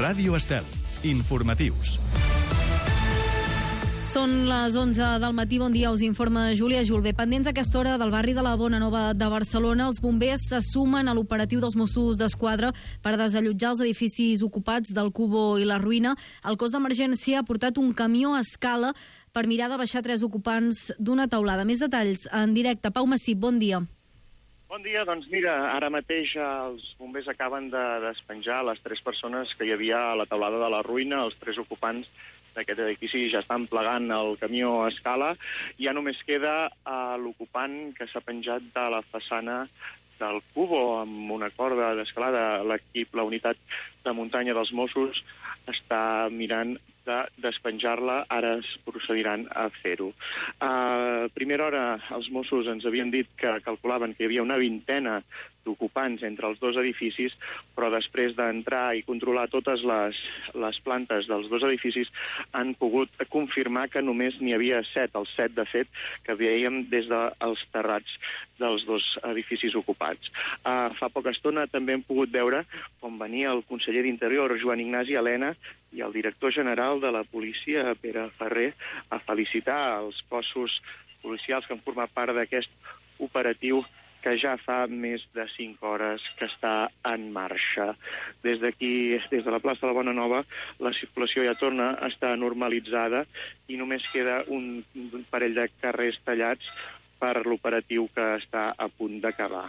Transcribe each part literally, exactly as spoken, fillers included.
Ràdio Estel. Informatius. Són les onze del matí, bon dia, us informa Júlia Julve. Pendents a aquesta hora del barri de la Bona Nova de Barcelona, els bombers se sumen a l'operatiu dels Mossos d'Esquadra per desallotjar els edificis ocupats del Cubo i la Ruïna. El cos d'emergència ha portat un camió a escala per mirar de baixar tres ocupants d'una teulada. Més detalls en directe. Pau Massip, bon dia. Bon dia, doncs mira, ara mateix els bombers acaben de despenjar les tres persones que hi havia a la teulada de la Ruïna. Els tres ocupants d'aquest edifici ja estan plegant el camió a escala. Ja només queda uh, l'ocupant que s'ha penjat de la façana del Cubo amb una corda d'escalada. L'equip, la unitat de muntanya dels Mossos, està mirant de despenjar-la, ara es procediran a fer-ho. A primera hora els Mossos ens havien dit que calculaven que hi havia una vintena d'ocupants entre els dos edificis, però després d'entrar i controlar totes les, les plantes dels dos edificis han pogut confirmar que només n'hi havia set, els set de fet que veiem des dels terrats dels dos edificis ocupats. Uh, fa poca estona també hem pogut veure com venia el conseller d'Interior, Joan Ignasi Elena, i el director general de la policia, Pere Ferrer, a felicitar els cossos policials que han format part d'aquest operatiu que ja fa més de cinc hores que està en marxa. Des d'aquí, des de la plaça de la Bona Nova, la circulació ja torna a estar normalitzada i només queda un, un parell de carrers tallats per l'operatiu que està a punt d'acabar.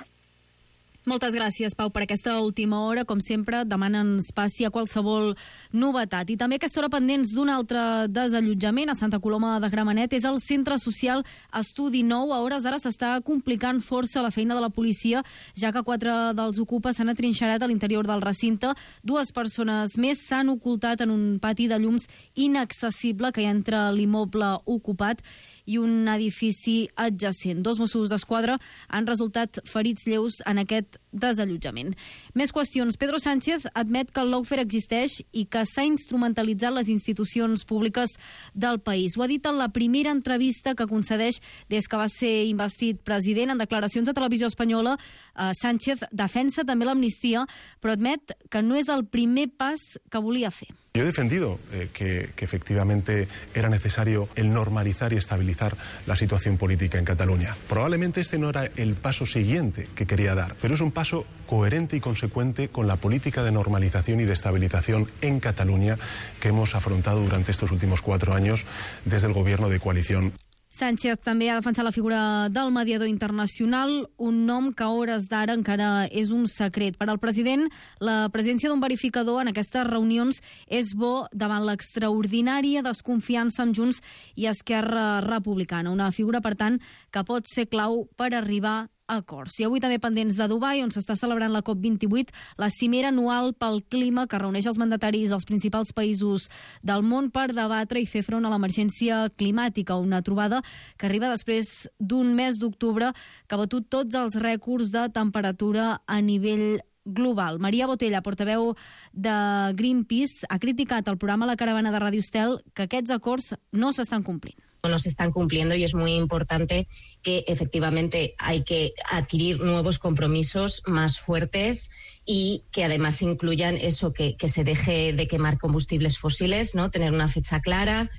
Moltes gràcies, Pau, per aquesta última hora. Com sempre, demana'ns passi a qualsevol novetat. I també a aquesta hora pendents d'un altre desallotjament a Santa Coloma de Gramenet és el Centre Social Estudi Nou. A hores d'ara s'està complicant força la feina de la policia, ja que quatre dels ocupes s'han atrinxerat a l'interior del recinte. Dues persones més s'han ocultat en un pati de llums inaccessible que hi ha entre l'immoble ocupat i un edifici adjacent. Dos Mossos d'Esquadra han resultat ferits lleus en aquest desallotjament. Més qüestions. Pedro Sánchez admet que el lawfare existeix i que s'ha instrumentalitzat les institucions públiques del país. Ho ha dit en la primera entrevista que concedeix des que va ser investit president. En declaracions a Televisió Espanyola, eh, Sánchez defensa també l'amnistia, però admet que no és el primer pas que volia fer. Yo he defendido eh, que, que efectivamente era necesario el normalizar y estabilizar la situación política en Cataluña. Probablemente este no era el paso siguiente que quería dar, pero es un paso coherente y consecuente con la política de normalización y de estabilización en Cataluña que hemos afrontado durante estos últimos cuatro años desde el gobierno de coalición. Sánchez també ha defensat la figura del mediador internacional, un nom que a hores d'ara encara és un secret. Per al president, la presència d'un verificador en aquestes reunions és bo davant l'extraordinària desconfiança amb Junts i Esquerra Republicana. Una figura, per tant, que pot ser clau per arribar acords. I avui també pendents de Dubai, on s'està celebrant la COP vint-i-vuit, la cimera anual pel clima que reuneix els mandataris dels principals països del món per debatre i fer front a l'emergència climàtica, una trobada que arriba després d'un mes d'octubre que ha batut tots els rècords de temperatura a nivell global. Maria Botella, portaveu de Greenpeace, ha criticat al programa La Caravana de Ràdio Estel que aquests acords no s'estan complint. No se están cumpliendo y es muy importante que efectivamente hay que adquirir nuevos compromisos más fuertes y que además incluyan eso, que, que se deje de quemar combustibles fósiles, ¿no? Tener una fecha clara.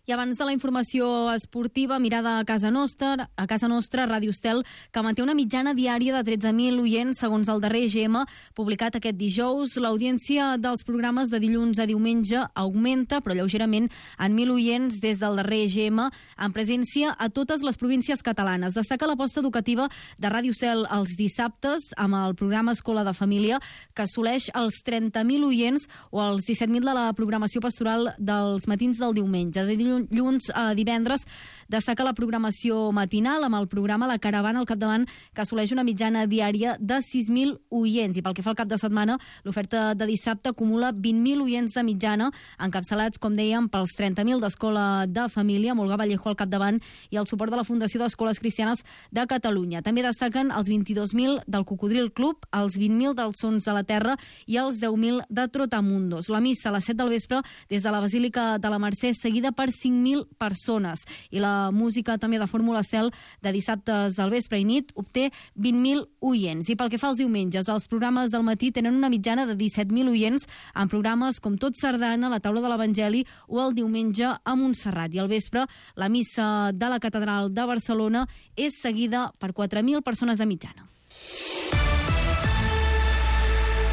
I abans de la informació esportiva, mirada a casa nostra, a casa nostra, Ràdio Estel, que manté una mitjana diària de tretze mil oients segons el darrer E G M publicat aquest dijous. L'audiència dels programes de dilluns a diumenge augmenta, però lleugerament, en mil oients des del darrer E G M, en presència a totes les províncies catalanes. Destaca l'aposta educativa de Ràdio Estel els dissabtes amb el programa Escola de Família, que assoleix els trenta mil oients, o els disset mil de la programació pastoral dels matins del diumenge. De dilluns dilluns a divendres destaca la programació matinal amb el programa La Caravana al capdavant, que assoleix una mitjana diària de sis mil oients. I pel que fa al cap de setmana, l'oferta de dissabte acumula vint mil oients de mitjana, encapçalats, com dèiem, pels trenta mil d'Escola de Família, amb Olga Vallejo al capdavant, i el suport de la Fundació d'Escoles Cristianes de Catalunya. També destaquen els vint-i-dos mil del Cocodril Club, els vint mil dels Sons de la Terra i els deu mil de Trotamundos. La missa a les set del vespre des de la Basílica de la Mercè, seguida per cinc cinc mil persones. I la música també de Fórmula Estel de dissabtes al vespre i nit obté vint mil oients. I pel que fa als diumenges, els programes del matí tenen una mitjana de disset mil oients en programes com Tot Sardana, La Taula de l'Evangeli o el diumenge a Montserrat. I al vespre, la missa de la Catedral de Barcelona és seguida per quatre mil persones de mitjana.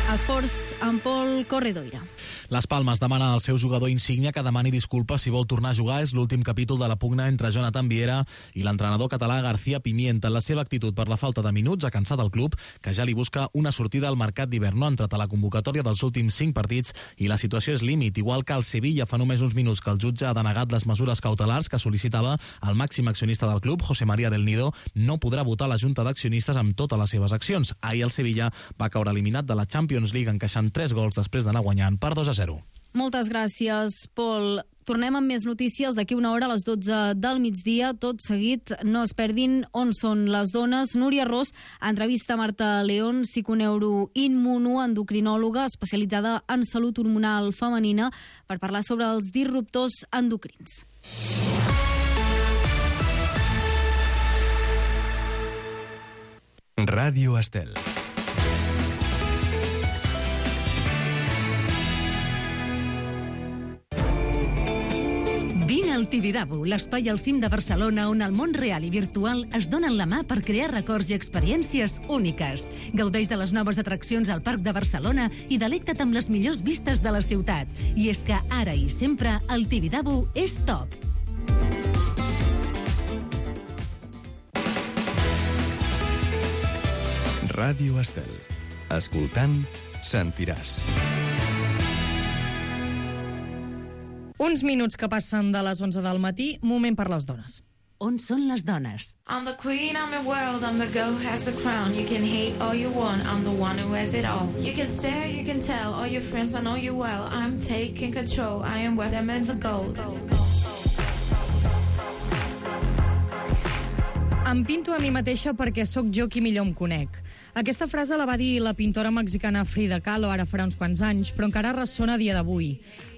Esports amb Pol Corredoira. Les Palmes demana al seu jugador insígnia que demani disculpes si vol tornar a jugar. És l'últim capítol de la pugna entre Jonathan Viera i l'entrenador català García Pimienta. La seva actitud per la falta de minuts ha cansat el club, que ja li busca una sortida al mercat d'hivern. No ha entrat a la convocatòria dels últims cinc partits i la situació és límit. Igual que el Sevilla fa només uns minuts que el jutge ha denegat les mesures cautelars que sol·licitava el màxim accionista del club, José María del Nido, no podrà votar la junta d'accionistes amb totes les seves accions. Ahir el Sevilla va caure eliminat de la Champions League encaixant tres gols després d'anar guanyant per dos a zero. Moltes gràcies, Pol. Tornem amb més notícies d'aquí una hora a les dotze del migdia. Tot seguit, no es perdin On són les dones. Núria Ros entrevista Marta León, psiconeuroimmunoendocrinòloga especialitzada en salut hormonal femenina, per parlar sobre els disruptors endocrins. Ràdio Estel. Vine al Tibidabo, l'espai al cim de Barcelona on el món real i virtual es donen la mà per crear records i experiències úniques. Gaudeix de les noves atraccions al Parc de Barcelona i delecta't amb les millors vistes de la ciutat. I és que ara i sempre el Tibidabo és top. Ràdio Estel. Escoltant, sentiràs. Uns minuts que passen de les onze del matí, moment per les dones. On són les dones? I'm the queen, I'm the world, I'm the girl who has the crown. You can hate all you want, I'm the one who has it all. You can stare, you can tell, all your friends I know you well. I'm taking control, I am where diamonds are gold. Em pinto a mi mateixa perquè sóc jo qui millor em conec. Aquesta frase la va dir la pintora mexicana Frida Kahlo ara farà uns quants anys, però encara ressona a dia d'avui.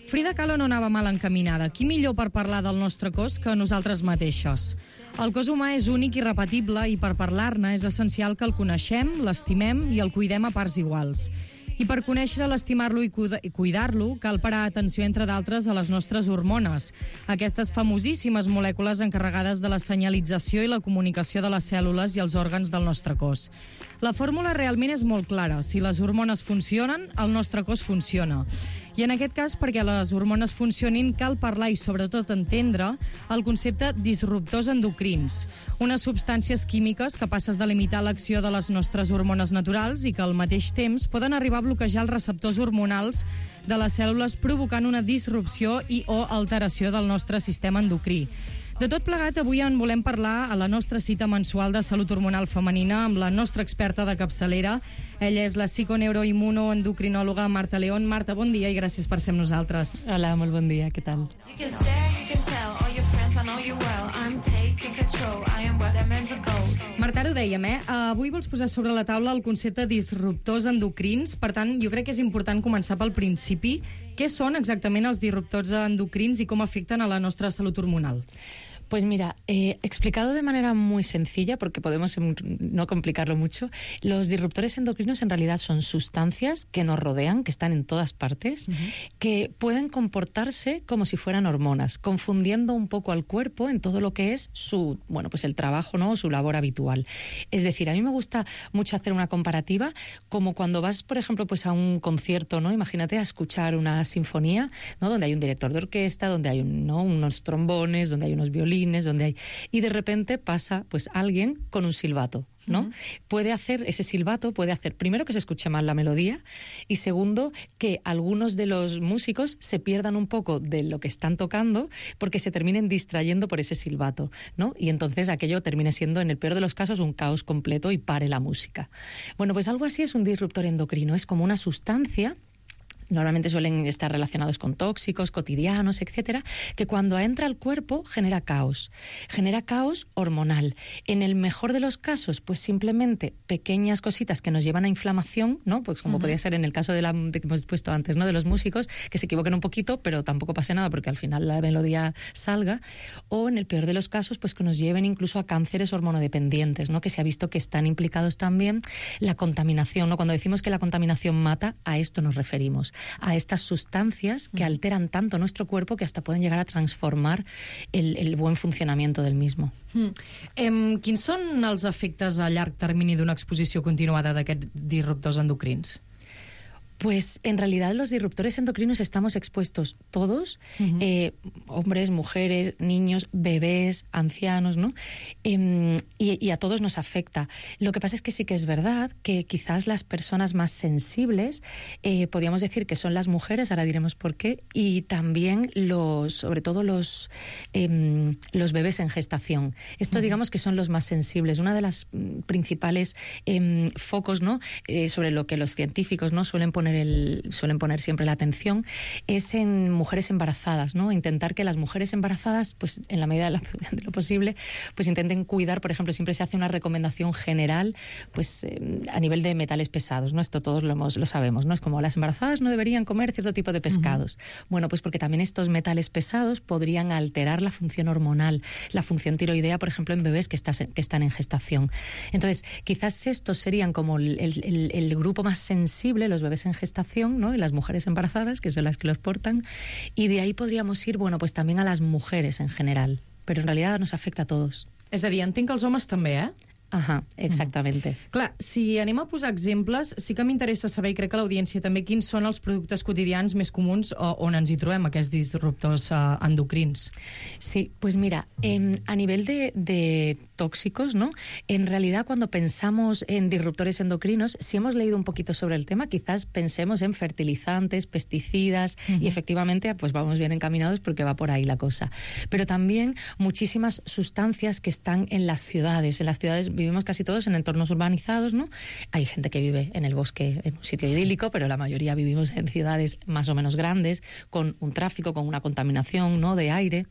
Frida Kahlo no anava mal encaminada. Qui millor per parlar del nostre cos que nosaltres mateixes? El cos humà és únic i repetible i per parlar-ne és essencial que el coneixem, l'estimem i el cuidem a parts iguals. I per conèixer, l'estimar-lo i cuidar-lo cal parar atenció, entre d'altres, a les nostres hormones, aquestes famosíssimes molècules encarregades de la senyalització i la comunicació de les cèl·lules i els òrgans del nostre cos. La fórmula realment és molt clara. Si les hormones funcionen, el nostre cos funciona. I en aquest cas, perquè les hormones funcionin, cal parlar i sobretot entendre el concepte disruptors endocrins, unes substàncies químiques capaces de limitar l'acció de les nostres hormones naturals i que al mateix temps poden arribar a bloquejar els receptors hormonals de les cèl·lules, provocant una disrupció i o alteració del nostre sistema endocrí. De tot plegat, avui en volem parlar a la nostra cita mensual de salut hormonal femenina amb la nostra experta de capçalera. Ella és la psiconeuroimmunoendocrinòloga Marta León. Marta, bon dia i gràcies per ser amb nosaltres. Hola, molt bon dia, què tal? Marta, ara ho dèiem, eh? Avui vols posar sobre la taula el concepte disruptors endocrins. Per tant, jo crec que és important començar pel principi. Què són exactament els disruptors endocrins i com afecten a la nostra salut hormonal? Pues mira, eh, explicado de manera muy sencilla, porque podemos no complicarlo mucho, los disruptores endocrinos en realidad son sustancias que nos rodean, que están en todas partes, uh-huh. que pueden comportarse como si fueran hormonas, confundiendo un poco al cuerpo en todo lo que es su, bueno, pues el trabajo, ¿no? Su labor habitual. Es decir, a mí me gusta mucho hacer una comparativa, como cuando vas, por ejemplo, pues a un concierto, ¿no? Imagínate a escuchar una sinfonía, ¿no? Donde hay un director de orquesta, donde hay un, ¿no? unos trombones, donde hay unos violines, donde hay, y de repente pasa pues alguien con un silbato, ¿no? Uh-huh. Puede hacer, ese silbato puede hacer, primero, que se escuche mal la melodía, y segundo, que algunos de los músicos se pierdan un poco de lo que están tocando porque se terminen distrayendo por ese silbato, ¿no? Y entonces aquello termine siendo, en el peor de los casos, un caos completo y pare la música. Bueno, pues algo así es un disruptor endocrino, es como una sustancia normalmente suelen estar relacionados con tóxicos cotidianos, etcétera, que cuando entra al cuerpo genera caos, genera caos hormonal. En el mejor de los casos, pues simplemente pequeñas cositas que nos llevan a inflamación, ¿no? Pues como uh-huh. podía ser en el caso de la de que hemos puesto antes, ¿no? De los músicos, que se equivoquen un poquito, pero tampoco pase nada porque al final la melodía salga. O en el peor de los casos, pues que nos lleven incluso a cánceres hormonodependientes, ¿no? Que se ha visto que están implicados también la contaminación, ¿no? Cuando decimos que la contaminación mata, a esto nos referimos, a estas sustancias que alteran tanto nuestro cuerpo que hasta pueden llegar a transformar el, el buen funcionamiento del mismo. Mm. Em, quins són els efectes a llarg termini d'una exposició continuada d'aquests disruptors endocrins? Pues en realidad los disruptores endocrinos estamos expuestos todos, uh-huh. eh, hombres, mujeres, niños, bebés, ancianos, ¿no? Eh, y, y a todos nos afecta. Lo que pasa es que sí que es verdad que quizás las personas más sensibles, eh, podríamos decir que son las mujeres, ahora diremos por qué, y también los, sobre todo los, eh, los bebés en gestación. Estos uh-huh. digamos que son los más sensibles. Una de las principales eh, focos, ¿no? Eh, sobre lo que los científicos, ¿no? suelen poner El, suelen poner siempre la atención es en mujeres embarazadas, ¿no? Intentar que las mujeres embarazadas, pues en la medida de, la, de lo posible, pues intenten cuidar. Por ejemplo, siempre se hace una recomendación general, pues eh, a nivel de metales pesados, ¿no? Esto todos lo, hemos, lo sabemos, ¿no? Es como las embarazadas no deberían comer cierto tipo de pescados. Uh-huh. Bueno, pues porque también estos metales pesados podrían alterar la función hormonal, la función tiroidea, por ejemplo, en bebés que, estás, que están en gestación. Entonces, quizás estos serían como el, el, el grupo más sensible, los bebés en gestación, ¿no? Y las mujeres embarazadas, que son las que los portan, y de ahí podríamos ir, bueno, pues también a las mujeres en general, pero en realidad nos afecta a todos. És a dir, entenc que els homes també, eh? Ahà, exactamente. Mm. Clar, si anem a posar exemples, sí que m'interessa saber, i crec que l'audiència també, quins són els productes quotidians més comuns on ens hi trobem, aquests disruptors uh, endocrins. Sí, pues mira, eh, a nivel de, de tóxicos, ¿no? En realidad, cuando pensamos en disruptores endocrinos, si hemos leído un poquito sobre el tema, quizás pensemos en fertilizantes, pesticidas, uh-huh. y efectivamente, pues vamos bien encaminados porque va por ahí la cosa. Pero también muchísimas sustancias que están en las ciudades. En las ciudades vivimos casi todos en entornos urbanizados, ¿no? Hay gente que vive en el bosque, en un sitio idílico, pero la mayoría vivimos en ciudades más o menos grandes, con un tráfico, con una contaminación, ¿no? de aire.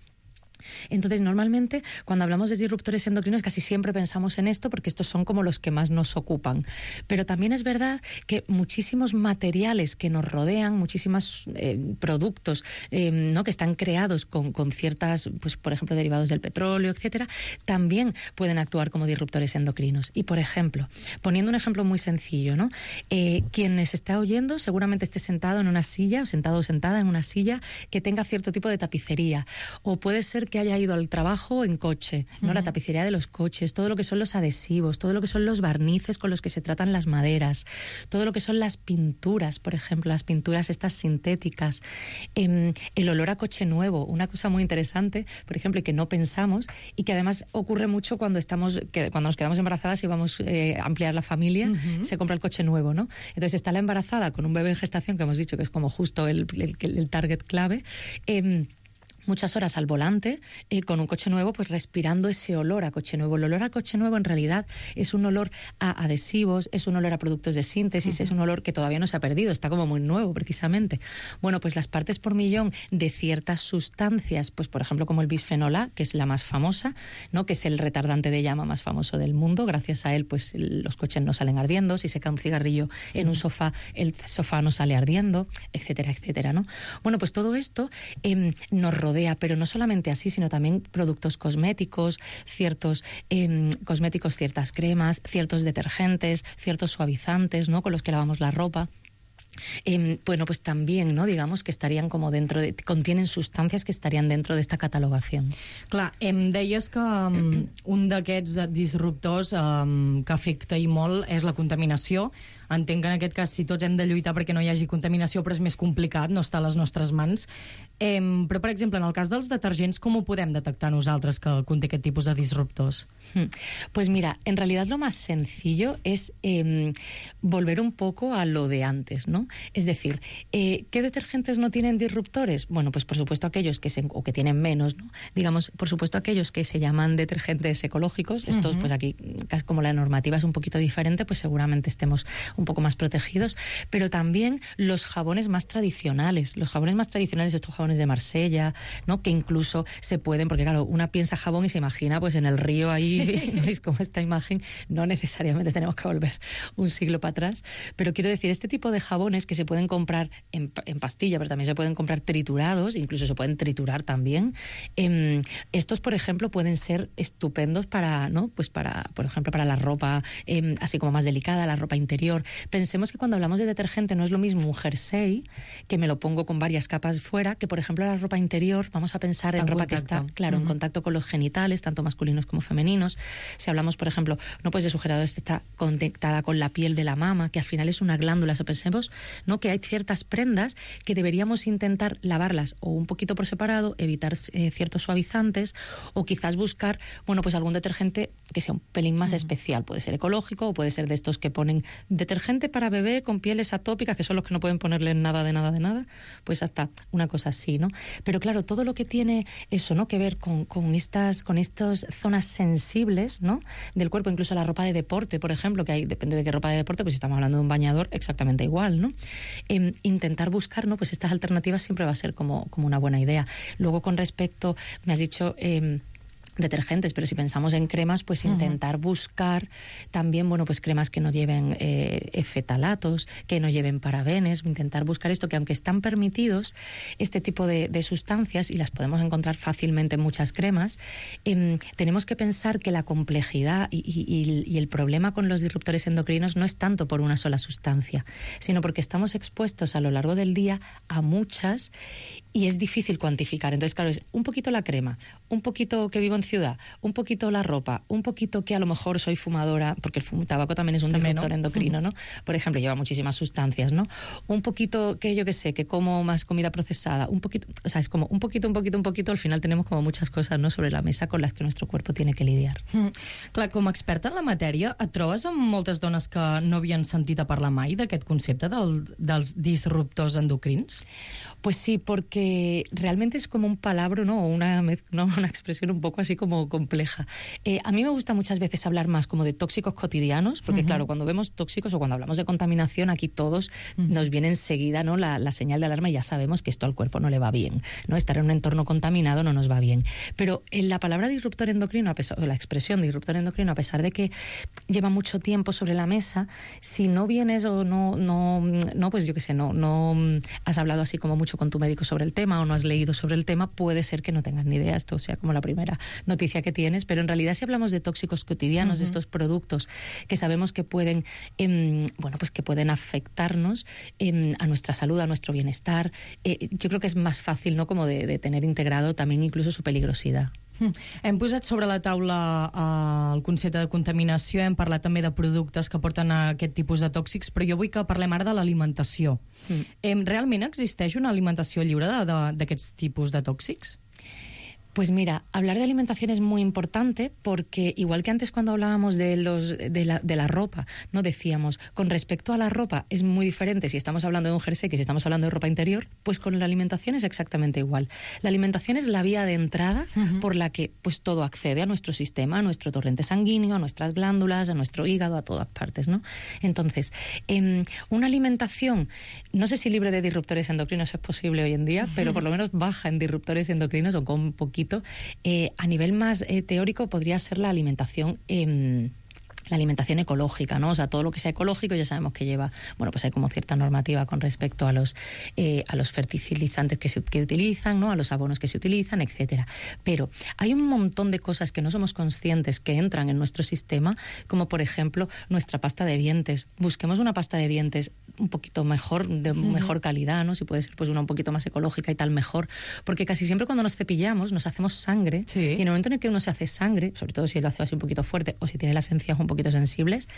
Entonces, normalmente, cuando hablamos de disruptores endocrinos, casi siempre pensamos en esto porque estos son como los que más nos ocupan. Pero también es verdad que muchísimos materiales que nos rodean, muchísimos eh, productos eh, ¿no? que están creados con, con ciertas, pues por ejemplo, derivados del petróleo, etcétera, también pueden actuar como disruptores endocrinos. Y, por ejemplo, poniendo un ejemplo muy sencillo, ¿no? Eh, quien nos está oyendo seguramente esté sentado en una silla, o sentado o sentada en una silla que tenga cierto tipo de tapicería. O puede ser que haya ido al trabajo en coche, ¿no? Uh-huh. La tapicería de los coches, todo lo que son los adhesivos, todo lo que son los barnices con los que se tratan las maderas, todo lo que son las pinturas, por ejemplo, las pinturas estas sintéticas, eh, el olor a coche nuevo, una cosa muy interesante, por ejemplo, y que no pensamos y que además ocurre mucho cuando estamos, que cuando nos quedamos embarazadas y vamos eh, a ampliar la familia, uh-huh. se compra el coche nuevo, ¿no? Entonces está la embarazada con un bebé en gestación, que hemos dicho que es como justo el, el, el target clave, eh, muchas horas al volante, eh, con un coche nuevo, pues respirando ese olor a coche nuevo. El olor a coche nuevo en realidad es un olor a adhesivos, es un olor a productos de síntesis, uh-huh. es un olor que todavía no se ha perdido, está como muy nuevo precisamente. Bueno, pues las partes por millón de ciertas sustancias, pues por ejemplo como el bisfenol A, que es la más famosa, ¿no? Que es el retardante de llama más famoso del mundo. Gracias a él, pues los coches no salen ardiendo. Si se cae un cigarrillo en un sofá, el sofá no sale ardiendo, etcétera, etcétera, ¿no? Bueno, pues todo esto eh, nos rodea, pero no solamente así, sino también productos cosméticos, ciertos eh, cosméticos, ciertas cremas, ciertos detergentes, ciertos suavizantes, ¿no? Con los que lavamos la ropa. Eh, bueno, pues también, no, digamos que estarían como dentro de, contienen sustancias que estarían dentro de esta catalogación. Clar, em deies que um, un d'aquests disruptors um, que afecta i molt és la contaminació. Entenc que en aquest cas si tots hem de lluitar perquè no hi hagi contaminació, però és més complicat, no està a les nostres mans. Eh, però, per exemple, en el cas dels detergents, com ho podem detectar nosaltres que conté aquest tipus de disruptors? Pues mira, en realidad lo más sencillo es eh, volver un poco a lo de antes, ¿no? ¿no? Es decir, eh, ¿qué detergentes no tienen disruptores? Bueno, pues por supuesto aquellos que se, o que tienen menos, ¿no? Digamos, por supuesto aquellos que se llaman detergentes ecológicos. Estos, uh-huh. pues aquí, como la normativa es un poquito diferente, pues seguramente estemos un poco más protegidos. Pero también los jabones más tradicionales, los jabones más tradicionales, estos jabones de Marsella, ¿no? Que incluso se pueden, porque claro, una piensa jabón y se imagina pues en el río ahí, ¿no? Es como esta imagen, no necesariamente tenemos que volver un siglo para atrás, pero quiero decir, este tipo de jabones que se pueden comprar en, en pastilla, pero también se pueden comprar triturados, incluso se pueden triturar también. Eh, estos, por ejemplo, pueden ser estupendos para, ¿no? Pues para, por ejemplo, para la ropa eh, así como más delicada, la ropa interior. Pensemos que cuando hablamos de detergente no es lo mismo un jersey, que me lo pongo con varias capas fuera, que por ejemplo la ropa interior, vamos a pensar está en ropa contacto. que está, claro, uh-huh. en contacto con los genitales, tanto masculinos como femeninos. Si hablamos, por ejemplo, no pues de sujeradores, está conectada con la piel de la mama, que al final es una glándula. O sea, pensemos, ¿no? que hay ciertas prendas que deberíamos intentar lavarlas o un poquito por separado, evitar eh, ciertos suavizantes, o quizás buscar, bueno, pues algún detergente que sea un pelín más uh-huh. especial. Puede ser ecológico o puede ser de estos que ponen detergente para bebé con pieles atópicas, que son los que no pueden ponerle nada de nada de nada, pues hasta una cosa así, ¿no? Pero claro, todo lo que tiene eso, ¿no? que ver con, con estas con estas zonas sensibles, ¿no? del cuerpo, incluso la ropa de deporte, por ejemplo, que hay, depende de qué ropa de deporte, pues si estamos hablando de un bañador, exactamente igual, ¿no? Eh, intentar buscar, ¿no? pues estas alternativas siempre va a ser como, como una buena idea. Luego, con respecto, me has dicho Eh, detergentes, pero si pensamos en cremas, pues intentar uh-huh. buscar también, bueno, pues cremas que no lleven eh, fetalatos, que no lleven parabenes, intentar buscar esto, que aunque están permitidos este tipo de, de sustancias, y las podemos encontrar fácilmente en muchas cremas, eh, tenemos que pensar que la complejidad y, y, y el problema con los disruptores endocrinos no es tanto por una sola sustancia, sino porque estamos expuestos a lo largo del día a muchas y es difícil cuantificar. Entonces, claro, es un poquito la crema, un poquito que vivo en ciudad, un poquito la ropa, un poquito que a lo mejor soy fumadora, porque el fum- tabaco también es un disruptor endocrino, ¿no? Por ejemplo, lleva muchísimas sustancias, ¿no? Un poquito que yo que sé, que como más comida procesada, un poquito, o sea, es como un poquito, un poquito, un poquito, al final tenemos como muchas cosas, ¿no?, sobre la mesa con las que nuestro cuerpo tiene que lidiar. Mm. Clar, com a experta en la matèria, et trobes amb moltes dones que no havien sentit a parlar mai d'aquest concepte del, dels disruptors endocrins? Pues sí, porque realmente es como un palabra, ¿no? O una, ¿no? una expresión un poco así como compleja. Eh, a mí me gusta muchas veces hablar más como de tóxicos cotidianos, porque uh-huh. claro, cuando vemos tóxicos o cuando hablamos de contaminación, aquí todos uh-huh. nos viene enseguida, ¿no?, la, la señal de alarma y ya sabemos que esto al cuerpo no le va bien, ¿no? Estar en un entorno contaminado no nos va bien. Pero en la palabra disruptor endocrino, a pesar, o la expresión disruptor endocrino, a pesar de que lleva mucho tiempo sobre la mesa, si no vienes o no, no, no pues yo qué sé, no, no has hablado así como mucho con tu médico sobre el tema o no has leído sobre el tema, puede ser que no tengas ni idea, esto sea como la primera noticia que tienes, pero en realidad si hablamos de tóxicos cotidianos, uh-huh. de estos productos que sabemos que pueden, eh, bueno, pues que pueden afectarnos eh, a nuestra salud, a nuestro bienestar, eh, yo creo que es más fácil, ¿no?, como de, de tener integrado también incluso su peligrosidad. Mm. Hem posat sobre la taula eh, el concepte de contaminació, hem parlat també de productes que porten a aquest tipus de tòxics, però jo vull que parlem ara de l'alimentació. Mm. Eh, realment existeix una alimentació lliure d'aquests tipus de tòxics? Pues mira, hablar de alimentación es muy importante porque igual que antes cuando hablábamos de los de la, de la ropa, no decíamos, con respecto a la ropa es muy diferente si estamos hablando de un jersey que si estamos hablando de ropa interior, pues con la alimentación es exactamente igual. La alimentación es la vía de entrada uh-huh. por la que pues todo accede a nuestro sistema, a nuestro torrente sanguíneo, a nuestras glándulas, a nuestro hígado, a todas partes, ¿no? Entonces, eh, una alimentación, no sé si libre de disruptores endocrinos es posible hoy en día, uh-huh. pero por lo menos baja en disruptores endocrinos o con poquito. Eh, a nivel más eh, teórico podría ser la alimentación eh, la alimentación ecológica, ¿no? O sea, todo lo que sea ecológico ya sabemos que lleva, bueno, pues hay como cierta normativa con respecto a los eh, a los fertilizantes que se que utilizan, ¿no?, a los abonos que se utilizan, etcétera. Pero hay un montón de cosas que no somos conscientes que entran en nuestro sistema, como por ejemplo nuestra pasta de dientes. Busquemos una pasta de dientes un poquito mejor, de uh-huh. mejor calidad, ¿no? Si puede ser pues una un poquito más ecológica y tal, mejor, porque casi siempre cuando nos cepillamos nos hacemos sangre, sí. y en el momento en el que uno se hace sangre, sobre todo si lo hace así un poquito fuerte o si tiene las encías un poquito sensibles,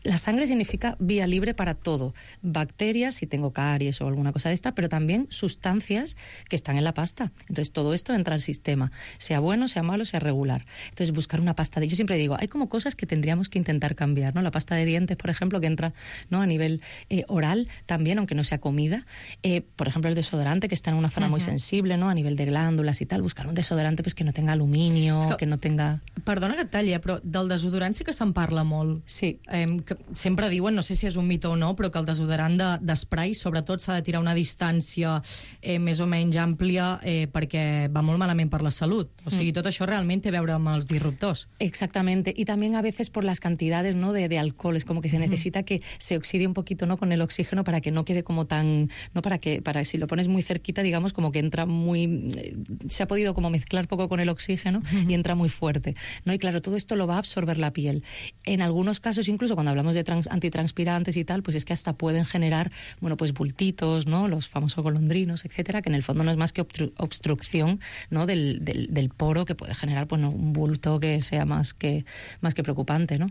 La sangre significa vía libre para todo. Bacterias, si tengo caries o alguna cosa de esta, pero también sustancias que están en la pasta. Entonces, todo esto entra al sistema, sea bueno, sea malo, sea regular. Entonces, buscar una pasta de... Yo siempre digo, hay como cosas que tendríamos que intentar cambiar, ¿no? La pasta de dientes, por ejemplo, que entra, ¿no?, a nivel eh, oral también, aunque no sea comida. Eh, por ejemplo, el desodorante, que está en una zona uh-huh. muy sensible, ¿no?, a nivel de glándulas y tal. Buscar un desodorante pues, que no tenga aluminio, que... que no tenga... Perdona que et talli, però del desodorant sí que se'n parla molt. Sí. Eh, que sempre diuen, no sé si és un mite o no, però que el desodorant de, d'esprai sobretot s'ha de tirar una distància eh, més o menys àmplia eh, perquè va molt malament per la salut. O sigui, mm. tot això realment té a veure amb els disruptors. Exactamente. Y también a veces por las cantidades, ¿no?, de, de alcohol. Es como que se necesita mm. que se oxide un poquito, ¿no?, con el oxígeno para que no quede como tan... no para que para si lo pones muy cerquita, digamos, como que entra muy... Eh, se ha podido como mezclar poco con el oxígeno mm. y entra muy fuerte, ¿no? Y claro, todo esto lo va a absorber la piel. En algunos casos, incluso cuando hablamos de trans, antitranspirantes y tal, pues es que hasta pueden generar, bueno, pues bultitos, ¿no?, los famosos golondrinos, etcétera, que en el fondo no es más que obstru obstrucción, ¿no?, del, del, del poro, que puede generar, bueno, un bulto que sea más que, más que preocupante, ¿no?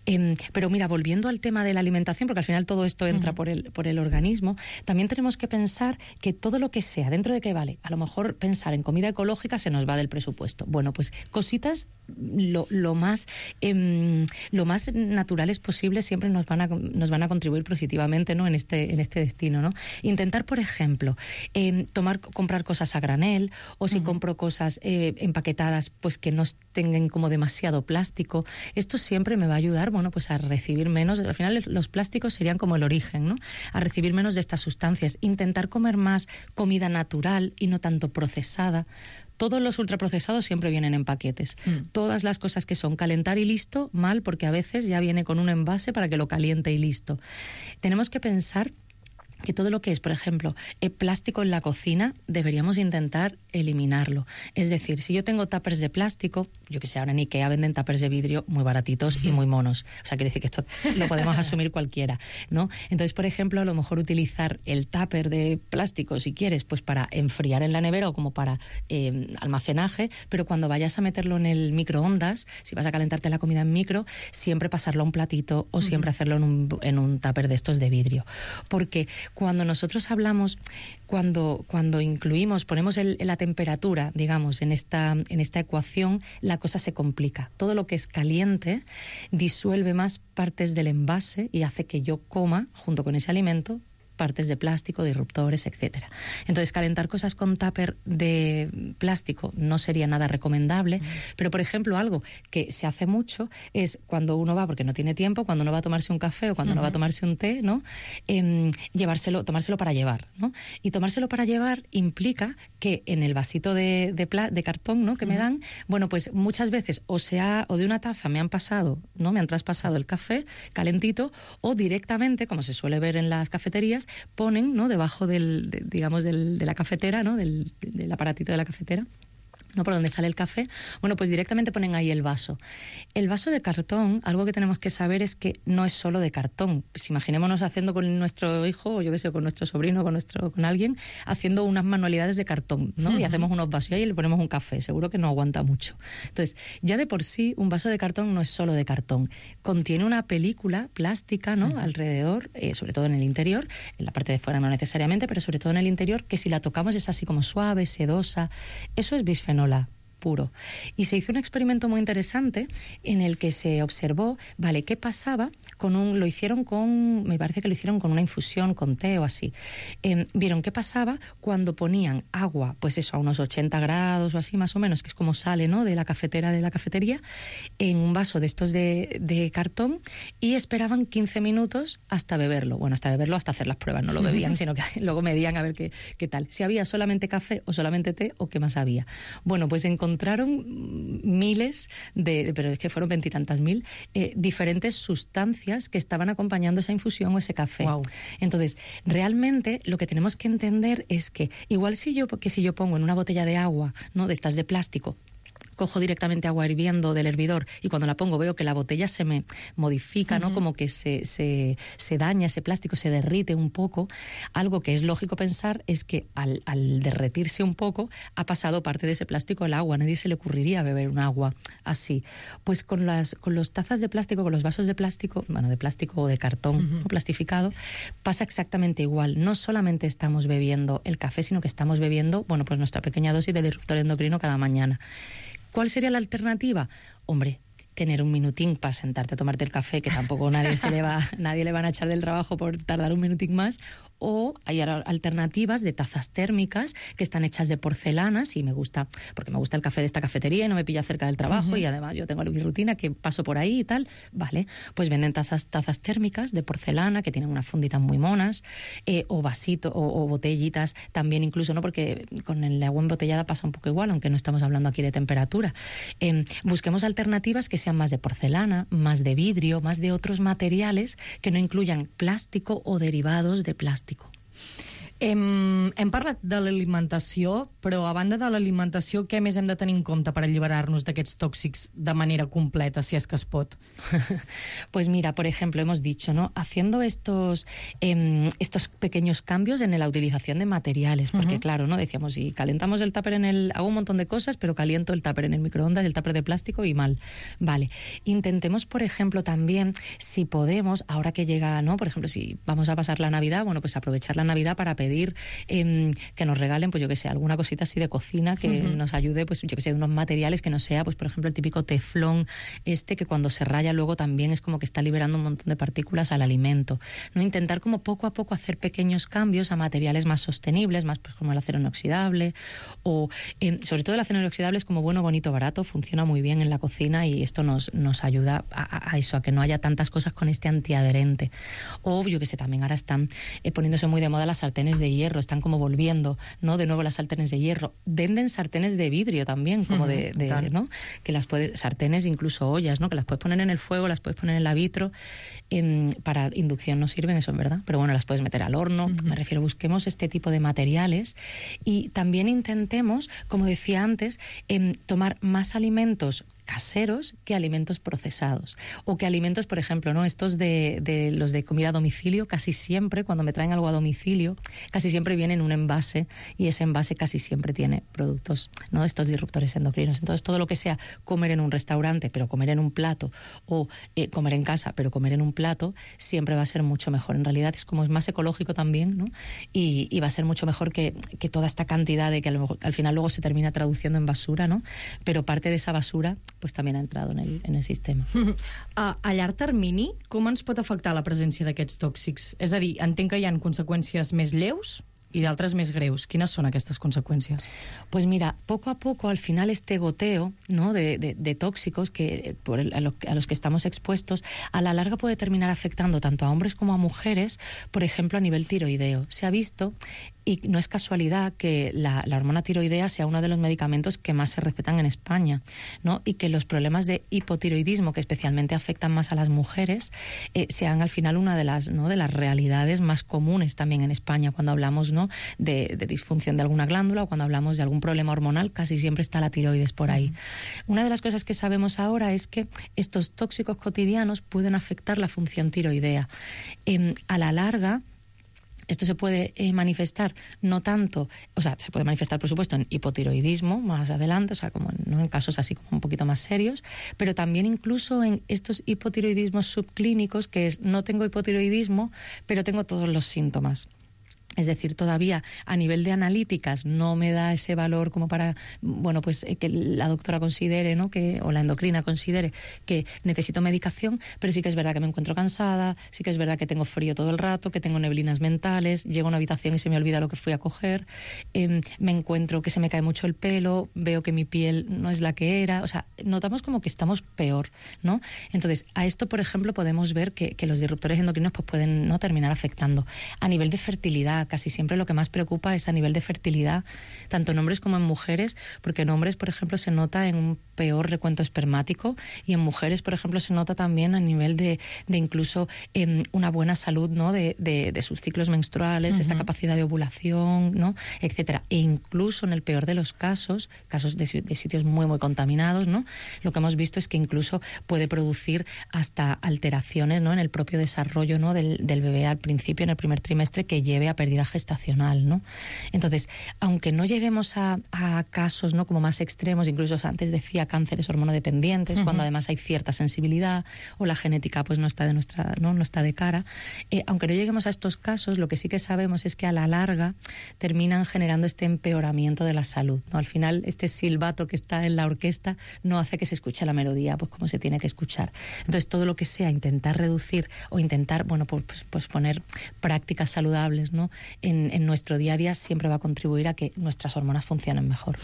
Eh, pero mira, volviendo al tema de la alimentación, porque al final todo esto entra uh-huh. por, el, por el organismo, también tenemos que pensar que todo lo que sea, dentro de que vale, a lo mejor pensar en comida ecológica se nos va del presupuesto. Bueno, pues cositas lo, lo más eh, lo más naturales posibles siempre nos van a, nos van a contribuir positivamente, ¿no?, en este, en este destino, ¿no? Intentar, por ejemplo, eh, tomar, comprar cosas a granel, o si uh-huh. compro cosas eh, empaquetadas, pues que no tengan como demasiado plástico. Esto siempre me va a ayudar, bueno, pues a recibir menos. Al final los plásticos serían como el origen, ¿no?, a recibir menos de estas sustancias. Intentar comer más comida natural y no tanto procesada. Todos los ultraprocesados siempre vienen en paquetes. Mm. Todas las cosas que son calentar y listo, mal, porque a veces ya viene con un envase para que lo caliente y listo. Tenemos que pensar que todo lo que es, por ejemplo, el plástico en la cocina, deberíamos intentar eliminarlo. Es decir, si yo tengo tuppers de plástico, yo que sé, ahora en IKEA venden tuppers de vidrio muy baratitos y muy monos. O sea, quiere decir que esto lo podemos asumir cualquiera, ¿no? Entonces, por ejemplo, a lo mejor utilizar el tupper de plástico, si quieres, pues para enfriar en la nevera o como para eh, almacenaje, pero cuando vayas a meterlo en el microondas, si vas a calentarte la comida en micro, siempre pasarlo a un platito o siempre uh-huh. hacerlo en un, en un tupper de estos de vidrio. Porque cuando nosotros hablamos, cuando, cuando incluimos, ponemos el, la temperatura, digamos, en esta, en esta ecuación, la cosa se complica. Todo lo que es caliente disuelve más partes del envase y hace que yo coma, junto con ese alimento, partes de plástico, disruptores, etcétera. Entonces, calentar cosas con tupper de plástico no sería nada recomendable, mm. pero, por ejemplo, algo que se hace mucho es cuando uno va, porque no tiene tiempo, cuando uno va a tomarse un café o cuando mm-hmm. uno va a tomarse un té, ¿no?, eh, llevárselo, tomárselo para llevar, ¿no? Y tomárselo para llevar implica que en el vasito de, de, pla, de cartón, ¿no?, que mm-hmm. me dan, bueno, pues muchas veces o sea, o de una taza me han pasado, ¿no?, me han traspasado el café calentito, o directamente, como se suele ver en las cafeterías, ponen, ¿no?, debajo del, de, digamos, del, de la cafetera, ¿no?, del, del aparatito de la cafetera, ¿no?, por donde sale el café, bueno, pues directamente ponen ahí el vaso. El vaso de cartón, algo que tenemos que saber es que no es solo de cartón. Pues imaginémonos haciendo con nuestro hijo, o yo qué sé, con nuestro sobrino, con nuestro, con alguien, haciendo unas manualidades de cartón, ¿no? Uh-huh. Y hacemos unos vasos y ahí le ponemos un café, seguro que no aguanta mucho. Entonces, ya de por sí, un vaso de cartón no es solo de cartón. Contiene una película plástica, ¿no?, uh-huh. alrededor, eh, sobre todo en el interior, en la parte de fuera no necesariamente, pero sobre todo en el interior, que si la tocamos es así como suave, sedosa. Eso es bisfenol puro. Y se hizo un experimento muy interesante en el que se observó, vale, ¿qué pasaba con un, lo hicieron con, me parece que lo hicieron con una infusión, con té o así. Eh, vieron qué pasaba cuando ponían agua, pues eso, a unos ochenta grados o así más o menos, que es como sale, ¿no?, de la cafetera de la cafetería, en un vaso de estos de, de cartón, y esperaban quince minutos hasta beberlo. Bueno, hasta beberlo, hasta hacer las pruebas, no lo bebían, sino que luego medían a ver qué, qué tal. Si había solamente café o solamente té o qué más había. Bueno, pues encontraron encontraron miles de, pero es que fueron veintitantas mil, eh, diferentes sustancias que estaban acompañando esa infusión o ese café. Wow. Entonces, realmente lo que tenemos que entender es que igual si yo, que si yo pongo en una botella de agua, ¿no?, de estas de plástico, cojo directamente agua hirviendo del hervidor y cuando la pongo veo que la botella se me modifica, ¿no? Uh-huh. Como que se, se, se daña ese plástico, se derrite un poco. Algo que es lógico pensar es que al, al derretirse un poco ha pasado parte de ese plástico al agua. Nadie se le ocurriría beber un agua así. Pues con las con los tazas de plástico, con los vasos de plástico, bueno, de plástico o de cartón, uh-huh. ¿no? Plastificado, pasa exactamente igual. No solamente estamos bebiendo el café, sino que estamos bebiendo, bueno, pues nuestra pequeña dosis de disruptor endocrino cada mañana. ¿Cuál sería la alternativa? Hombre, tener un minutín para sentarte a tomarte el café, que tampoco nadie se le va, nadie le van a echar del trabajo por tardar un minutín más, o hay alternativas de tazas térmicas que están hechas de porcelanas y me gusta, porque me gusta el café de esta cafetería y no me pilla cerca del trabajo uh-huh. y además yo tengo mi rutina que paso por ahí y tal, vale, pues venden tazas, tazas térmicas de porcelana que tienen unas funditas muy monas, eh, o vasitos o, o botellitas también incluso, ¿no? Porque con el agua embotellada pasa un poco igual, aunque no estamos hablando aquí de temperatura. Eh, busquemos alternativas que sean más de porcelana, más de vidrio, más de otros materiales que no incluyan plástico o derivados de plástico. Hem, hem parlat de l'alimentació, però a banda de l'alimentació, què més hem de tenir en compte per alliberar-nos d'aquests tòxics de manera completa, si és que es pot? Pues mira, por ejemplo, hemos dicho, ¿no? Haciendo estos, eh, estos pequeños cambios en la utilización de materiales, porque uh-huh. claro, ¿no? Decíamos, si calentamos el tupper en el... Hago un montón de cosas, pero caliento el tupper en el microondas, el tupper de plástico y mal. Vale. Intentemos, por ejemplo, también, si podemos, ahora que llega, ¿no? Por ejemplo, si vamos a pasar la Navidad, bueno, pues aprovechar la Navidad para pedir Eh, que nos regalen, pues yo que sé, alguna cosita así de cocina que uh-huh. nos ayude, pues yo que sé, unos materiales que no sea, pues por ejemplo el típico teflón este que cuando se raya luego también es como que está liberando un montón de partículas al alimento, ¿no? Intentar como poco a poco hacer pequeños cambios a materiales más sostenibles, más pues como el acero inoxidable o eh, sobre todo el acero inoxidable es como bueno, bonito, barato, funciona muy bien en la cocina y esto nos, nos ayuda a, a eso, a que no haya tantas cosas con este antiadherente. O yo que sé, también ahora están eh, poniéndose muy de moda las sartenes de hierro, están como volviendo, ¿no? De nuevo las sartenes de hierro. Venden sartenes de vidrio también, como uh-huh, de, de ¿no? Que las puedes, sartenes, incluso ollas, ¿no? Que las puedes poner en el fuego, las puedes poner en la vitro. Eh, para inducción no sirven, eso es verdad, pero bueno, las puedes meter al horno. Uh-huh. Me refiero, busquemos este tipo de materiales y también intentemos, como decía antes, eh, tomar más alimentos caseros que alimentos procesados o que alimentos, por ejemplo, no estos de, de los de comida a domicilio, casi siempre cuando me traen algo a domicilio casi siempre viene en un envase y ese envase casi siempre tiene productos, no estos disruptores endocrinos. Entonces todo lo que sea comer en un restaurante pero comer en un plato o eh, comer en casa pero comer en un plato siempre va a ser mucho mejor. En realidad es como es más ecológico también, ¿no? y, y va a ser mucho mejor que, que toda esta cantidad de que a lo mejor, al final luego se termina traduciendo en basura, ¿no? Pero parte de esa basura pues també ha entrat en el, en el sistema. A, a llarg termini, com ens pot afectar la presència d'aquests tòxics? És a dir, entenc que hi ha conseqüències més lleus y de otras más greus. ¿Quiénes son estas consecuencias? Pues mira, poco a poco, al final este goteo, ¿no? de, de, de tóxicos que, por el, a, lo, a los que estamos expuestos, a la larga puede terminar afectando tanto a hombres como a mujeres, por ejemplo, a nivel tiroideo. Se ha visto, y no es casualidad, que la, la hormona tiroidea sea uno de los medicamentos que más se recetan en España, ¿no? Y que los problemas de hipotiroidismo, que especialmente afectan más a las mujeres, eh, sean al final una de las, ¿no? de las realidades más comunes también en España cuando hablamos, ¿no? De, de disfunción de alguna glándula o cuando hablamos de algún problema hormonal, casi siempre está la tiroides por ahí. Uh-huh. Una de las cosas que sabemos ahora es que estos tóxicos cotidianos pueden afectar la función tiroidea. Eh, a la larga, esto se puede eh, manifestar no tanto, o sea, se puede manifestar por supuesto en hipotiroidismo más adelante, o sea, como en, ¿no? en casos así como un poquito más serios, pero también incluso en estos hipotiroidismos subclínicos, que es no tengo hipotiroidismo, pero tengo todos los síntomas. Es decir, todavía a nivel de analíticas no me da ese valor como para, bueno, pues que la doctora considere, ¿no? que, o la endocrina considere que necesito medicación, pero sí que es verdad que me encuentro cansada, sí que es verdad que tengo frío todo el rato, que tengo neblinas mentales, llego a una habitación y se me olvida lo que fui a coger, eh, me encuentro que se me cae mucho el pelo, veo que mi piel no es la que era, o sea, notamos como que estamos peor, ¿no? Entonces, a esto, por ejemplo, podemos ver que, que los disruptores endocrinos pues pueden no terminar afectando. A nivel de fertilidad, realidad casi siempre lo que más preocupa es a nivel de fertilidad, tanto en hombres como en mujeres, porque en hombres, por ejemplo, se nota en un peor recuento espermático y en mujeres, por ejemplo, se nota también a nivel de, de incluso eh, una buena salud, ¿no? de, de, de sus ciclos menstruales, uh-huh. esta capacidad de ovulación, ¿no? etcétera. E incluso en el peor de los casos, casos de, de sitios muy, muy contaminados, ¿no? lo que hemos visto es que incluso puede producir hasta alteraciones, ¿no? en el propio desarrollo, ¿no? del, del bebé al principio, en el primer trimestre, que lleve a pérdida gestacional, ¿no? Entonces, aunque no lleguemos a, a casos, ¿no? como más extremos, incluso antes decía cánceres hormonodependientes, uh-huh. cuando además hay cierta sensibilidad o la genética pues no está de nuestra, no, no está de cara, eh, aunque no lleguemos a estos casos, lo que sí que sabemos es que a la larga terminan generando este empeoramiento de la salud, ¿no? Al final, este silbato que está en la orquesta no hace que se escuche la melodía pues como se tiene que escuchar. Entonces, todo lo que sea intentar reducir o intentar, bueno, pues, pues poner prácticas saludables, ¿no? en, en nuestro día a día siempre va a contribuir a que nuestras hormones funcionen mejor.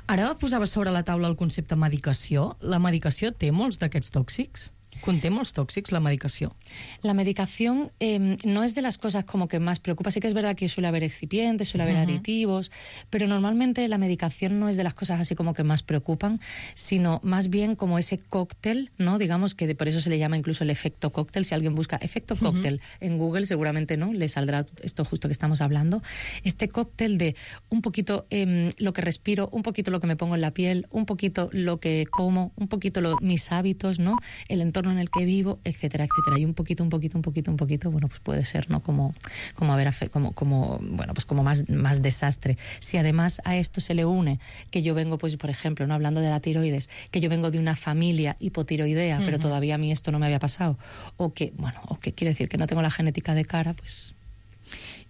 Ara posaves sobre la taula el concepte medicació. La medicació té molts d'aquests tòxics? ¿Conté molts tòxics la medicació? La medicación eh, no es de las cosas como que más preocupa. Sí que es verdad que suele haber excipientes, suele haber uh-huh. aditivos, pero normalmente la medicación no es de las cosas así como que más preocupan, sino más bien como ese cóctel, ¿no? Digamos que de, por eso se le llama incluso el efecto cóctel. Si alguien busca efecto cóctel uh-huh. en Google, seguramente no le saldrá esto justo que estamos hablando. Este cóctel de un poquito eh, lo que respiro, un poquito lo que me pongo en la piel, un poquito lo que como, un poquito lo, mis hábitos, ¿no? El entorno en el que vivo, etcétera, etcétera. Y un poquito, un poquito, un poquito, un poquito, bueno, pues puede ser, ¿no? Como, como haber, como, como, bueno, pues como más, más desastre. Si además a esto se le une que yo vengo, pues, por ejemplo, no hablando de la tiroides, que yo vengo de una familia hipotiroidea, uh-huh. pero todavía a mí esto no me había pasado, o que, bueno, o que quiero decir que no tengo la genética de cara, pues...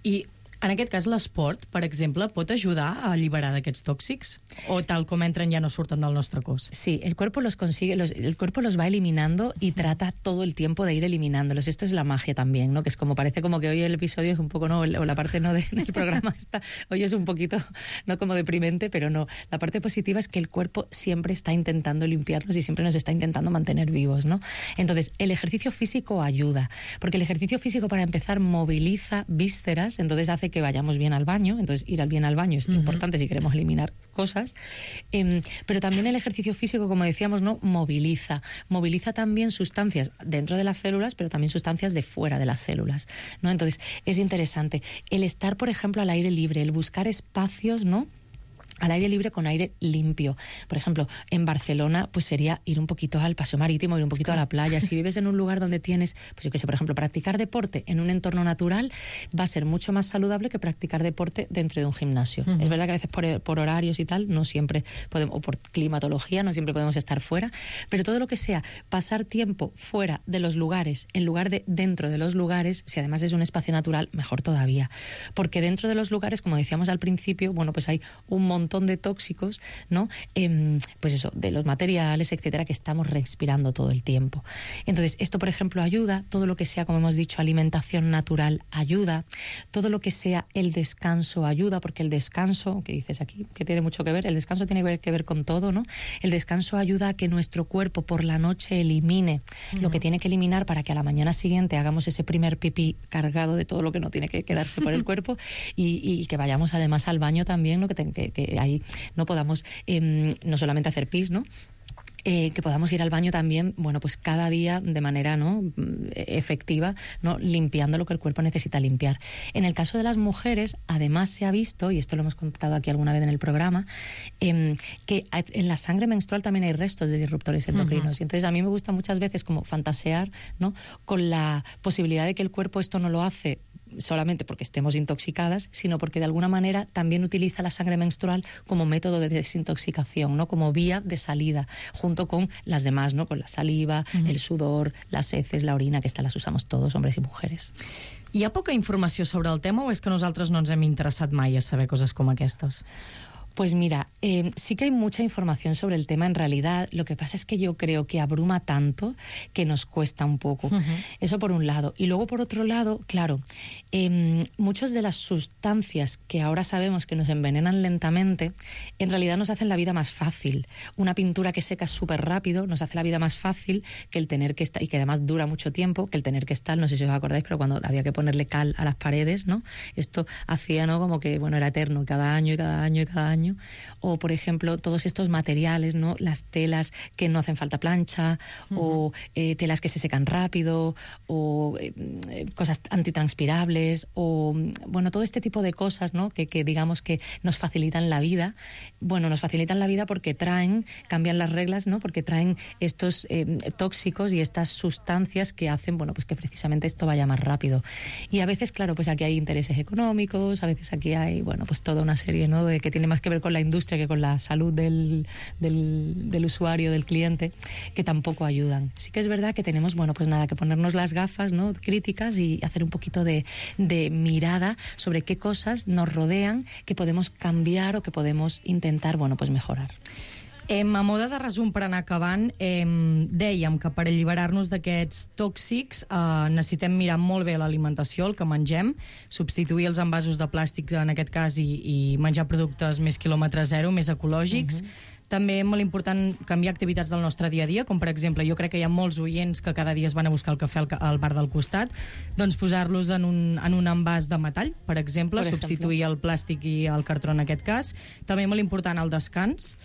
I en aquest cas, l'esport, per exemple, pot ajudar a alliberar d'aquests tòxics? O tal com entren ja no surten del nostre cos? Sí, el cuerpo los consigue, los, el cuerpo los va eliminando y trata todo el tiempo de ir eliminándolos. Esto es la magia también, ¿no? Que es como, parece como que hoy el episodio es un poco, ¿no? O la parte no de, del programa está, hoy es un poquito, no como deprimente, pero no. La parte positiva es que el cuerpo siempre está intentando limpiarnos y siempre nos está intentando mantener vivos, ¿no? Entonces, el ejercicio físico ayuda, porque el ejercicio físico, para empezar, moviliza vísceras, entonces hace que vayamos bien al baño, entonces ir al bien al baño es uh-huh. importante si queremos eliminar cosas, eh, pero también el ejercicio físico, como decíamos, ¿no? moviliza, moviliza también sustancias dentro de las células, pero también sustancias de fuera de las células, ¿no? Entonces es interesante el estar, por ejemplo, al aire libre, el buscar espacios, ¿no? al aire libre con aire limpio. Por ejemplo, en Barcelona, pues sería ir un poquito al paseo marítimo, ir un poquito a la playa. Si vives en un lugar donde tienes, pues yo qué sé, por ejemplo, practicar deporte en un entorno natural va a ser mucho más saludable que practicar deporte dentro de un gimnasio. Uh-huh. Es verdad que a veces por, por horarios y tal, no siempre podemos, o por climatología, no siempre podemos estar fuera, pero todo lo que sea pasar tiempo fuera de los lugares, en lugar de dentro de los lugares, si además es un espacio natural, mejor todavía. Porque dentro de los lugares, como decíamos al principio, bueno, pues hay un montón de tóxicos, ¿no? Eh, pues eso, de los materiales, etcétera, que estamos respirando todo el tiempo. Entonces, esto, por ejemplo, ayuda, todo lo que sea, como hemos dicho, alimentación natural ayuda, todo lo que sea el descanso ayuda, porque el descanso, que dices aquí, que tiene mucho que ver, el descanso tiene que ver, que ver con todo, ¿no? El descanso ayuda a que nuestro cuerpo por la noche elimine uh-huh. lo que tiene que eliminar para que a la mañana siguiente hagamos ese primer pipí cargado de todo lo que no tiene que quedarse por el cuerpo y, y que vayamos además al baño también, ¿no? que, te, que, que ahí no podamos eh, no solamente hacer pis, ¿no? Eh, que podamos ir al baño también, bueno, pues cada día de manera, ¿no? efectiva, ¿no? limpiando lo que el cuerpo necesita limpiar. En el caso de las mujeres, además se ha visto, y esto lo hemos contado aquí alguna vez en el programa, eh, que en la sangre menstrual también hay restos de disruptores endocrinos. Uh-huh. Y entonces a mí me gusta muchas veces como fantasear, ¿no? con la posibilidad de que el cuerpo esto no lo hace solamente porque estemos intoxicadas, sino porque de alguna manera también utiliza la sangre menstrual como método de desintoxicación, ¿no? como vía de salida, junto con las demás, ¿no? con la saliva, uh-huh. el sudor, las heces, la orina, que estas las usamos todos, hombres y mujeres. Hi ha poca informació sobre el tema o és que nosaltres no ens hem interessat mai a saber coses com aquestes? Pues mira, Eh, sí que hay mucha información sobre el tema en realidad. Lo que pasa es que yo creo que abruma tanto que nos cuesta un poco. Uh-huh. Eso por un lado. Y luego por otro lado, claro, eh, muchas de las sustancias que ahora sabemos que nos envenenan lentamente, en realidad nos hacen la vida más fácil. Una pintura que seca súper rápido nos hace la vida más fácil que el tener que estar, y que además dura mucho tiempo, que el tener que estar, no sé si os acordáis, pero cuando había que ponerle cal a las paredes, ¿no? Esto hacía, ¿no?, como que, bueno, era eterno, cada año y cada año y cada año. O, por ejemplo, todos estos materiales, ¿no? Las telas que no hacen falta plancha, uh-huh. o eh, telas que se secan rápido, o eh, cosas antitranspirables, o, bueno, todo este tipo de cosas, ¿no?, que, que digamos que nos facilitan la vida. Bueno, nos facilitan la vida porque traen, cambian las reglas, ¿no?, porque traen estos eh, tóxicos y estas sustancias que hacen, bueno, pues que precisamente esto vaya más rápido. Y a veces, claro, pues aquí hay intereses económicos, a veces aquí hay, bueno, pues toda una serie, ¿no?, de que tiene más que ver con la industria que con la salud del, del, del usuario, del cliente, que tampoco ayudan. Sí que es verdad que tenemos, bueno, pues nada, que ponernos las gafas, ¿no?, críticas y hacer un poquito de, de mirada sobre qué cosas nos rodean, que podemos cambiar o que podemos intentar, bueno, pues mejorar. Eh, a moda de resum per anar acabant, eh, dèiem que per alliberar-nos d'aquests tòxics eh, necessitem mirar molt bé l'alimentació, el que mengem, substituir els envasos de plàstic en aquest cas i, i menjar productes més quilòmetre zero, més ecològics. Uh-huh. També és molt important canviar activitats del nostre dia a dia, com per exemple, jo crec que hi ha molts oients que cada dia es van a buscar el cafè al, al bar del costat, doncs posar-los en un, en un envàs de metall, per exemple, per substituir exemple. el plàstic i el cartró en aquest cas. També molt important el descans,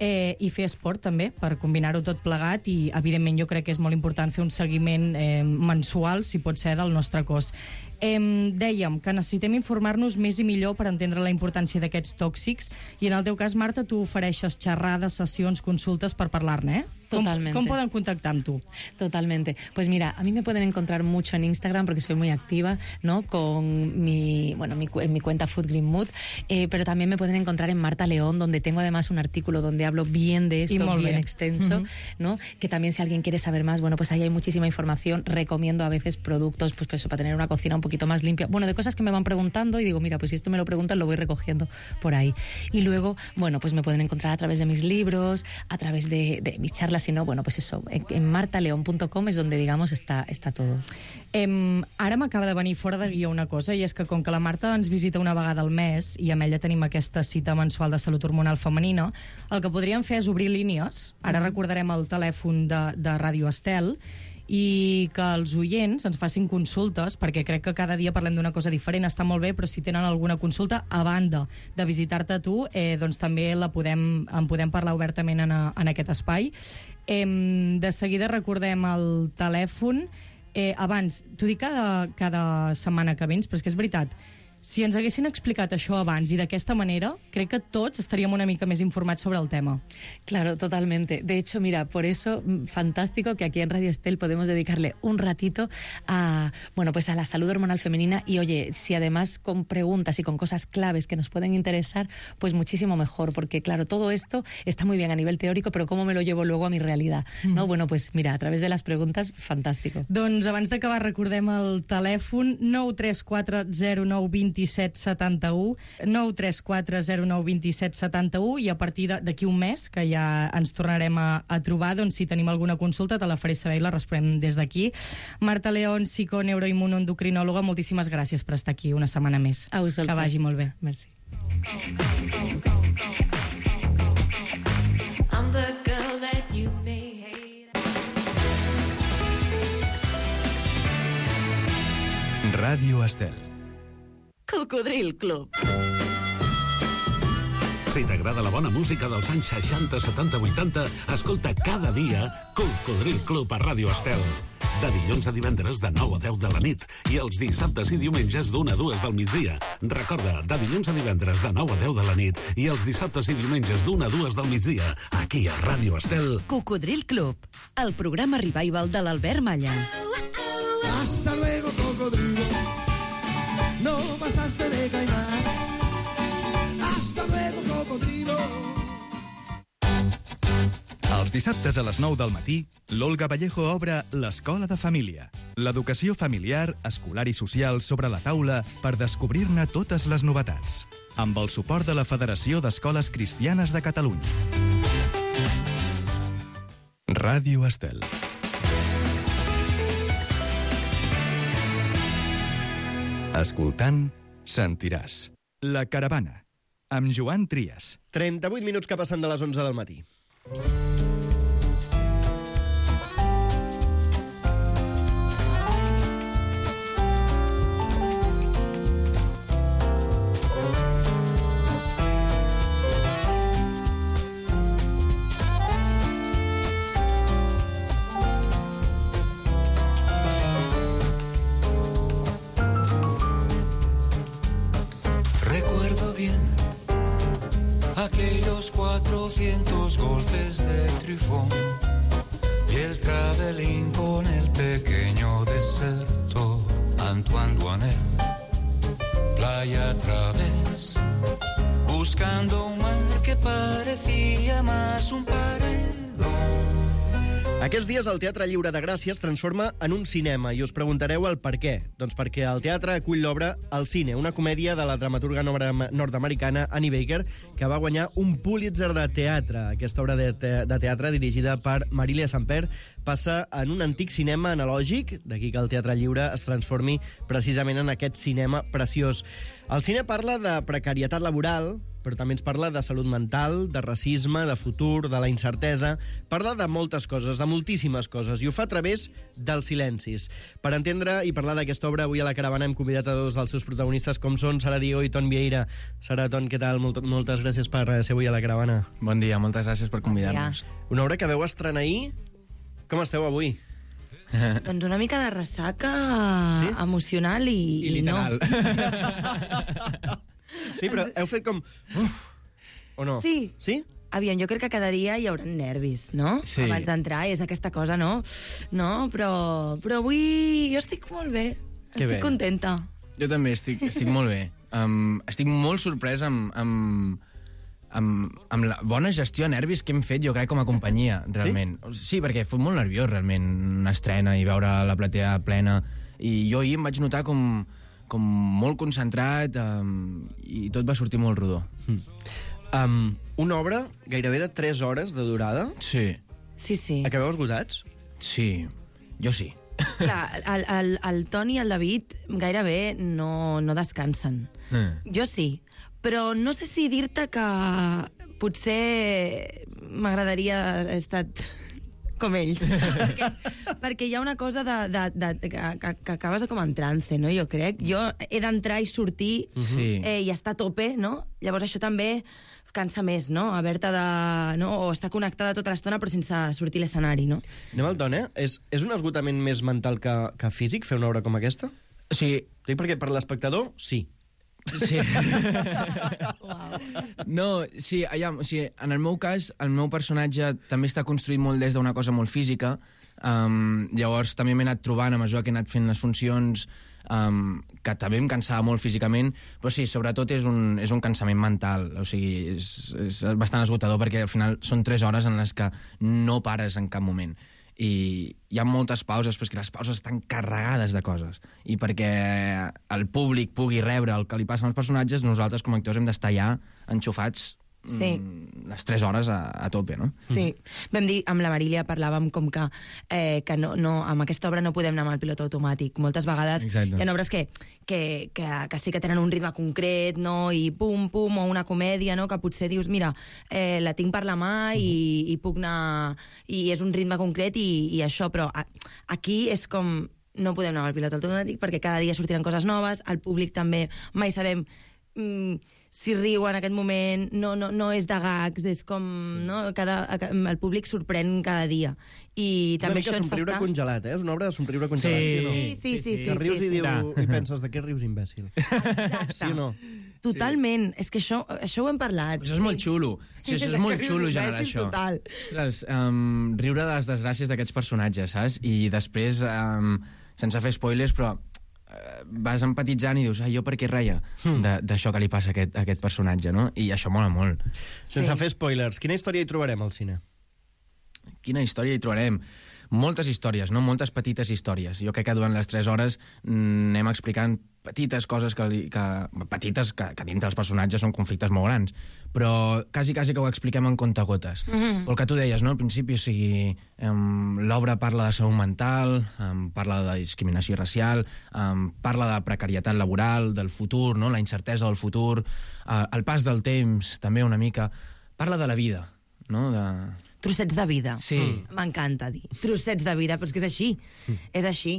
Eh, i fer esport també, per combinar-ho tot plegat, i evidentment jo crec que és molt important fer un seguiment eh, mensual, si pot ser, del nostre cos. Eh, dèiem que necessitem informar-nos més i millor per entendre la importància d'aquests tòxics, i en el teu cas, Marta, tu ofereixes xerrades, sessions, consultes per parlar-ne, eh? Totalmente. ¿Cómo, ¿Cómo pueden contactar tú? Totalmente. Pues mira, a mí me pueden encontrar mucho en Instagram porque soy muy activa, ¿no?, con mi, bueno, mi, en mi cuenta Food Green Mood, eh, pero también me pueden encontrar en Marta León, donde tengo además un artículo donde hablo bien de esto, bien bien extenso, uh-huh. ¿no? Que también si alguien quiere saber más, bueno, pues ahí hay muchísima información. Recomiendo a veces productos, pues, pues para tener una cocina un poquito más limpia. Bueno, de cosas que me van preguntando y digo, mira, pues si esto me lo preguntan, lo voy recogiendo por ahí. Y luego, bueno, pues me pueden encontrar a través de mis libros, a través de, de mis charlas, si no, bueno, pues eso, en, en marta león punto com es donde, digamos, está, está todo. Eh, ara m'acaba de venir fora de guió una cosa, i és que com que la Marta ens visita una vegada al mes i amb ella tenim aquesta cita mensual de salut hormonal femenina, el que podríem fer és obrir línies. Ara mm. recordarem el telèfon de, de Ràdio Estel, i que els oients ens facin consultes, perquè crec que cada dia parlem d'una cosa diferent, està molt bé, però si tenen alguna consulta, a banda de visitar-te a tu, eh, doncs també la podem, en podem parlar obertament en, a, en aquest espai. Eh, de seguida recordem el telèfon. Eh, abans, t'ho dic cada, cada setmana que vens, però és que és veritat, si ens haguessin explicat això abans i d'aquesta manera, crec que tots estaríem una mica més informats sobre el tema. Claro, totalmente. De hecho, mira, por eso, fantástico que aquí en Radio Estel podemos dedicarle un ratito a, bueno, pues a la salud hormonal femenina, y oye, si además con preguntas y con cosas claves que nos pueden interesar, pues muchísimo mejor, porque claro, todo esto está muy bien a nivel teórico, pero ¿cómo me lo llevo luego a mi realidad? ¿No? Mm. Bueno, pues mira, a través de las preguntas, fantástico. Doncs abans d'acabar recordem el telèfon nou tres quatre zero nou dos set set u, nou tres quatre zero nou dos set set u, i a partir d'aquí un mes, que ja ens tornarem a, a trobar, doncs si tenim alguna consulta te la faré saber i la responem des d'aquí. Marta León, psiconeuroimmunoendocrinòloga, moltíssimes gràcies per estar aquí una setmana més. A vosaltres. Que vagi molt bé. Merci. I'm the girl that you may hate. Ràdio Estel. Cocodril Club. Si t'agrada la bona música dels anys seixanta, setanta, vuitanta, escolta cada dia Cocodril Club a Ràdio Estel. De dilluns a divendres de nou a deu de la nit i els dissabtes i diumenges d'una a dues del migdia. Recorda, de dilluns a divendres de nou a deu de la nit i els dissabtes i diumenges d'una a dues del migdia, aquí a Ràdio Estel. Cocodril Club, el programa revival de l'Albert Malla. Hasta luego, cocodrilo. No pasaste de caimán. Hasta luego, cocodrilo. Els Els dissabtes a les nou del matí, l'Olga Vallejo obre l'Escola de Família. L'educació familiar, escolar i social sobre la taula per descobrir-ne totes les novetats. Amb el suport de la Federació d'Escoles Cristianes de Catalunya. Ràdio Estel. Escoltant, sentiràs. La Caravana, amb Joan Trias. trenta-vuit minuts que passen de les onze del matí. Recuerdo bien aquellos cuatrocientos golpes de trifón y el travelín con el pequeño desertor Antoine Duanel, playa a través, buscando un mar que parecía más un paredón. Aquests dies el Teatre Lliure de Gràcia es transforma en un cinema i us preguntareu el per què. Doncs perquè el teatre acull l'obra El cine, una comèdia de la dramaturga nord-americana Annie Baker que va guanyar un Pulitzer de teatre. Aquesta obra de, te de teatre, dirigida per Marilia Samper, passa en un antic cinema analògic, d'aquí que el Teatre Lliure es transformi precisament en aquest cinema preciós. El cine parla de precarietat laboral, però també ens parla de salut mental, de racisme, de futur, de la incertesa. Parla de moltes coses, de moltíssimes coses, i ho fa a través dels silencis. Per entendre i parlar d'aquesta obra, avui a la Caravana hem convidat a dos dels seus protagonistes, com són Sara Diego i Ton Vieira. Sara, Ton, què tal? Molt, moltes gràcies per ser avui a la Caravana. Bon dia, moltes gràcies per convidar-nos. Una obra que veu estrenar ahir. Com esteu avui? Doncs una mica de ressaca sí? emocional i, I literal. No. Sí, però heu fet com... Uf, o no? Sí. Sí? Aviam, jo crec que cada dia hi haurà nervis, no? Sí. Abans d'entrar, és aquesta cosa, no? No, però, però avui jo estic molt bé. Que estic bé. contenta. Jo també estic, estic molt bé. Um, estic molt sorprès amb, amb, amb, amb la bona gestió de nervis que hem fet, jo crec, com a companyia, realment. Sí, sí perquè fos molt nerviós, realment, una estrena i veure la platea plena. I jo ahir em vaig notar com... com molt concentrat um, i tot va sortir molt rodó. Mm. Um, una obra gairebé de tres hores de durada. Sí. Sí, sí. Acabeu esgotats? Sí, jo sí. Clar, el, el, el Toni i el David gairebé no, no descansen. Mm. Jo sí, però no sé si dir-te que potser m'agradaria haver estat com ells. perquè, perquè hi ha una cosa de, de, de, de, que, que acabes com en trance, no? Jo crec. Jo he d'entrar i sortir Sí. eh, i estar a tope, no? Llavors això també cansa més, no? Haver-te de... No? O estar connectada tota l'estona però sense sortir a l'escenari, no? Anem al Ton, eh? És, és un esgotament més mental que, que físic fer una obra com aquesta? Sí. Dic perquè per l'espectador, sí. Sí. No, sí, allà, o sigui, en el meu cas, el meu personatge també està construït molt des d'una cosa molt física. Um, llavors també m'he anat trobant a mesura que he anat fent les funcions um, que també em cansava molt físicament, però sí, sobretot és un, és un cansament mental, o sigui, és, és bastant esgotador perquè al final són tres hores en les que no pares en cap moment. I hi ha moltes pauses, però és que les pauses estan carregades de coses. I perquè el públic pugui rebre el que li passa als personatges, nosaltres com a actors hem d'estar allà enxufats Sí. mm, les tres hores a, a tope, no? Sí. Vam dir, amb la Marília parlàvem com que, eh, que no, no, amb aquesta obra no podem anar amb el pilot automàtic. Moltes vegades Exacte. hi ha obres que, que, que, que sí que tenen un ritme concret, no? I pum, pum, o una comèdia, no? Que potser dius, mira, eh, la tinc per la mà i, i puc anar... I és un ritme concret i, i això, però a, aquí és com... No podem anar amb el pilot automàtic perquè cada dia sortiran coses noves, el públic també mai sabem... Mm, si riu en aquest moment, no, no, no és de gags, és com... Sí. No? Cada, el públic sorprèn cada dia. I Una també mica això ens fa somriure estar... congelat, eh? És una obra de somriure congelat. Sí, no? sí, sí, sí, Que rius sí, i, sí. diu, i penses, de què rius, imbècil? Exacte. Sí o no? Totalment. És que això, això ho hem parlat. Això és molt xulo. Sí, això és molt xulo, generar això. Total. Ostres, um, riure de les desgràcies d'aquests personatges, saps? I després, um, sense fer spoilers, però uh, vas empatitzant i dius, ah, jo per què reia d'això que li passa a aquest, a aquest personatge, no? I això mola molt. Sense sí. fer spoilers, quina història hi trobarem al cine? quina història hi trobarem? Moltes històries, no? Moltes petites històries. Jo crec que durant les tres hores mm, anem explicant petites coses que, li, que petites que, que dintre dels personatges són conflictes molt grans, però quasi, quasi que ho expliquem en contagotes. Mm-hmm. El que tu deies, no? Al principi, o sigui, um, l'obra parla de salut mental, um, parla de discriminació racial, um, parla de precarietat laboral, del futur, no? La incertesa del futur, uh, el pas del temps, també una mica. Parla de la vida, no? De... Trossets de vida. Sí. M'encanta dir. Trossets de vida, però és que és així. Mm. És així.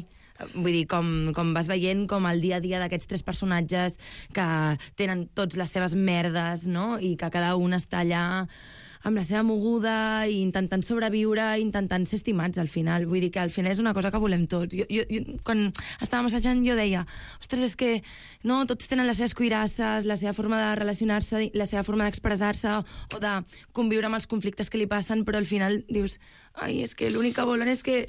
Vull dir, com, com vas veient com el dia a dia d'aquests tres personatges que tenen tots les seves merdes, no? I que cada un està allà amb la seva moguda, i intentant sobreviure, intentant ser estimats al final. Vull dir que al final és una cosa que volem tots. Jo, jo, jo, quan estàvem assajant jo deia, ostres, és que no, tots tenen les seves cuirasses, la seva forma de relacionar-se, la seva forma d'expressar-se o de conviure amb els conflictes que li passen, però al final dius, ai, és que l'únic que volen és que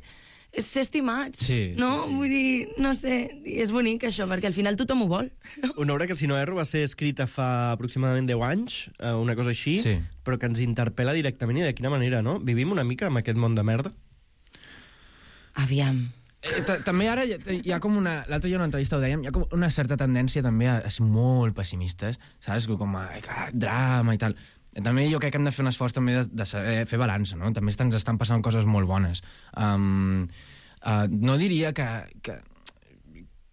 és ser estimats, sí, no? Sí, sí. Vull dir, no sé, i és bonic això, perquè al final tothom ho vol. Una obra que, si no erro, va ser escrita fa aproximadament deu anys, una cosa així, sí. Però que ens interpel·la directament, i de quina manera, no? Vivim una mica amb aquest món de merda? Aviam. Eh, també ara hi ha com una... L'altre dia en una entrevista ho dèiem, hi ha com una certa tendència també a ser molt pessimistes, saps? Com a, a drama i tal. També jo crec que hem de fer un esforç també de, de saber fer balança, no? També ens estan passant coses molt bones. Um, uh, no diria que, que,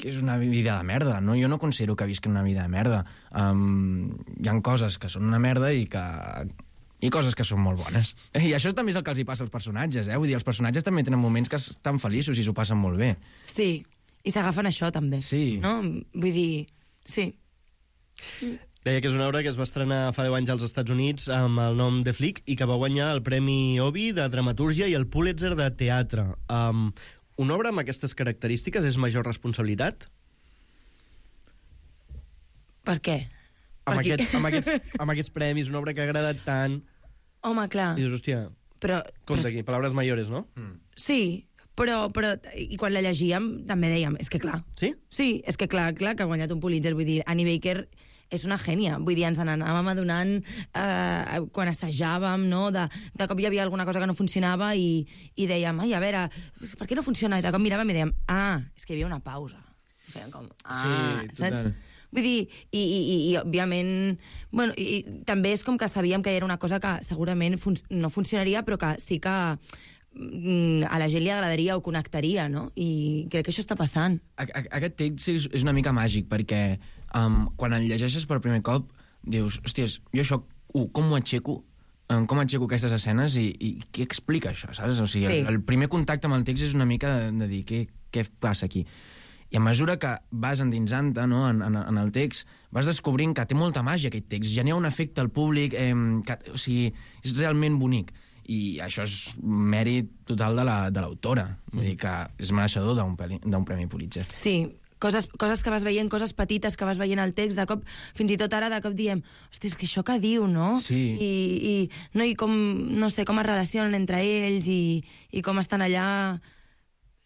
que és una vida de merda, no? Jo no considero que visquen una vida de merda. Um, hi ha coses que són una merda i que... i coses que són molt bones. I això també és el que els hi passa als personatges, eh? Vull dir, els personatges també tenen moments que estan feliços i s'ho passen molt bé. Sí, i s'agafen això també. Sí. No? Vull dir, sí. Deia que és una obra que es va estrenar fa deu anys als Estats Units amb el nom de Flick i que va guanyar el Premi Obie de Dramatúrgia i el Pulitzer de Teatre. Um, una obra amb aquestes característiques és major responsabilitat? Per què? Amb, per aquests, amb, aquests, amb aquests premis, una obra que ha agradat tant... Home, clar. I dius, hòstia, però, compte però... aquí, paraules mayores, no? Mm. Sí, però, però... I quan la llegíem també dèiem, és que clar. Sí? Sí, és que clar, clar que ha guanyat un Pulitzer. Vull dir, Annie Baker és una gènia. Vull dir, ens n'anàvem adonant eh, quan assajàvem, no? De, de cop hi havia alguna cosa que no funcionava i, i dèiem, ai, a veure, per què no funciona? I de cop miràvem i dèiem, ah, és que hi havia una pausa. I fèiem com, ah, sí, total. Saps? Vull dir, i, i, i, i òbviament... Bueno, i, i també és com que sabíem que era una cosa que segurament fun no funcionaria, però que sí que mm, a la gent li agradaria o connectaria, no? I crec que això està passant. A, a, aquest text és, és una mica màgic, perquè um, quan el llegeixes per primer cop, dius, hòsties, jo això, uh, com ho aixeco? Um, com aixeco aquestes escenes i, i què explica això, saps? O sigui, sí. el, el primer contacte amb el text és una mica de, de dir, què, què passa aquí? I a mesura que vas endinsant-te, no, en, en, en el text, vas descobrint que té molta màgia aquest text, genera un efecte al públic, eh, que, o sigui, és realment bonic. I això és mèrit total de l'autora. La, Vull dir que és mereixedor d'un premi Pulitzer. Sí, coses, coses que vas veient, coses petites que vas veient al text, de cop, fins i tot ara, de cop diem, hosti, és que això que diu, no? Sí. I, i, no, i com, no sé, com es relacionen entre ells i, i com estan allà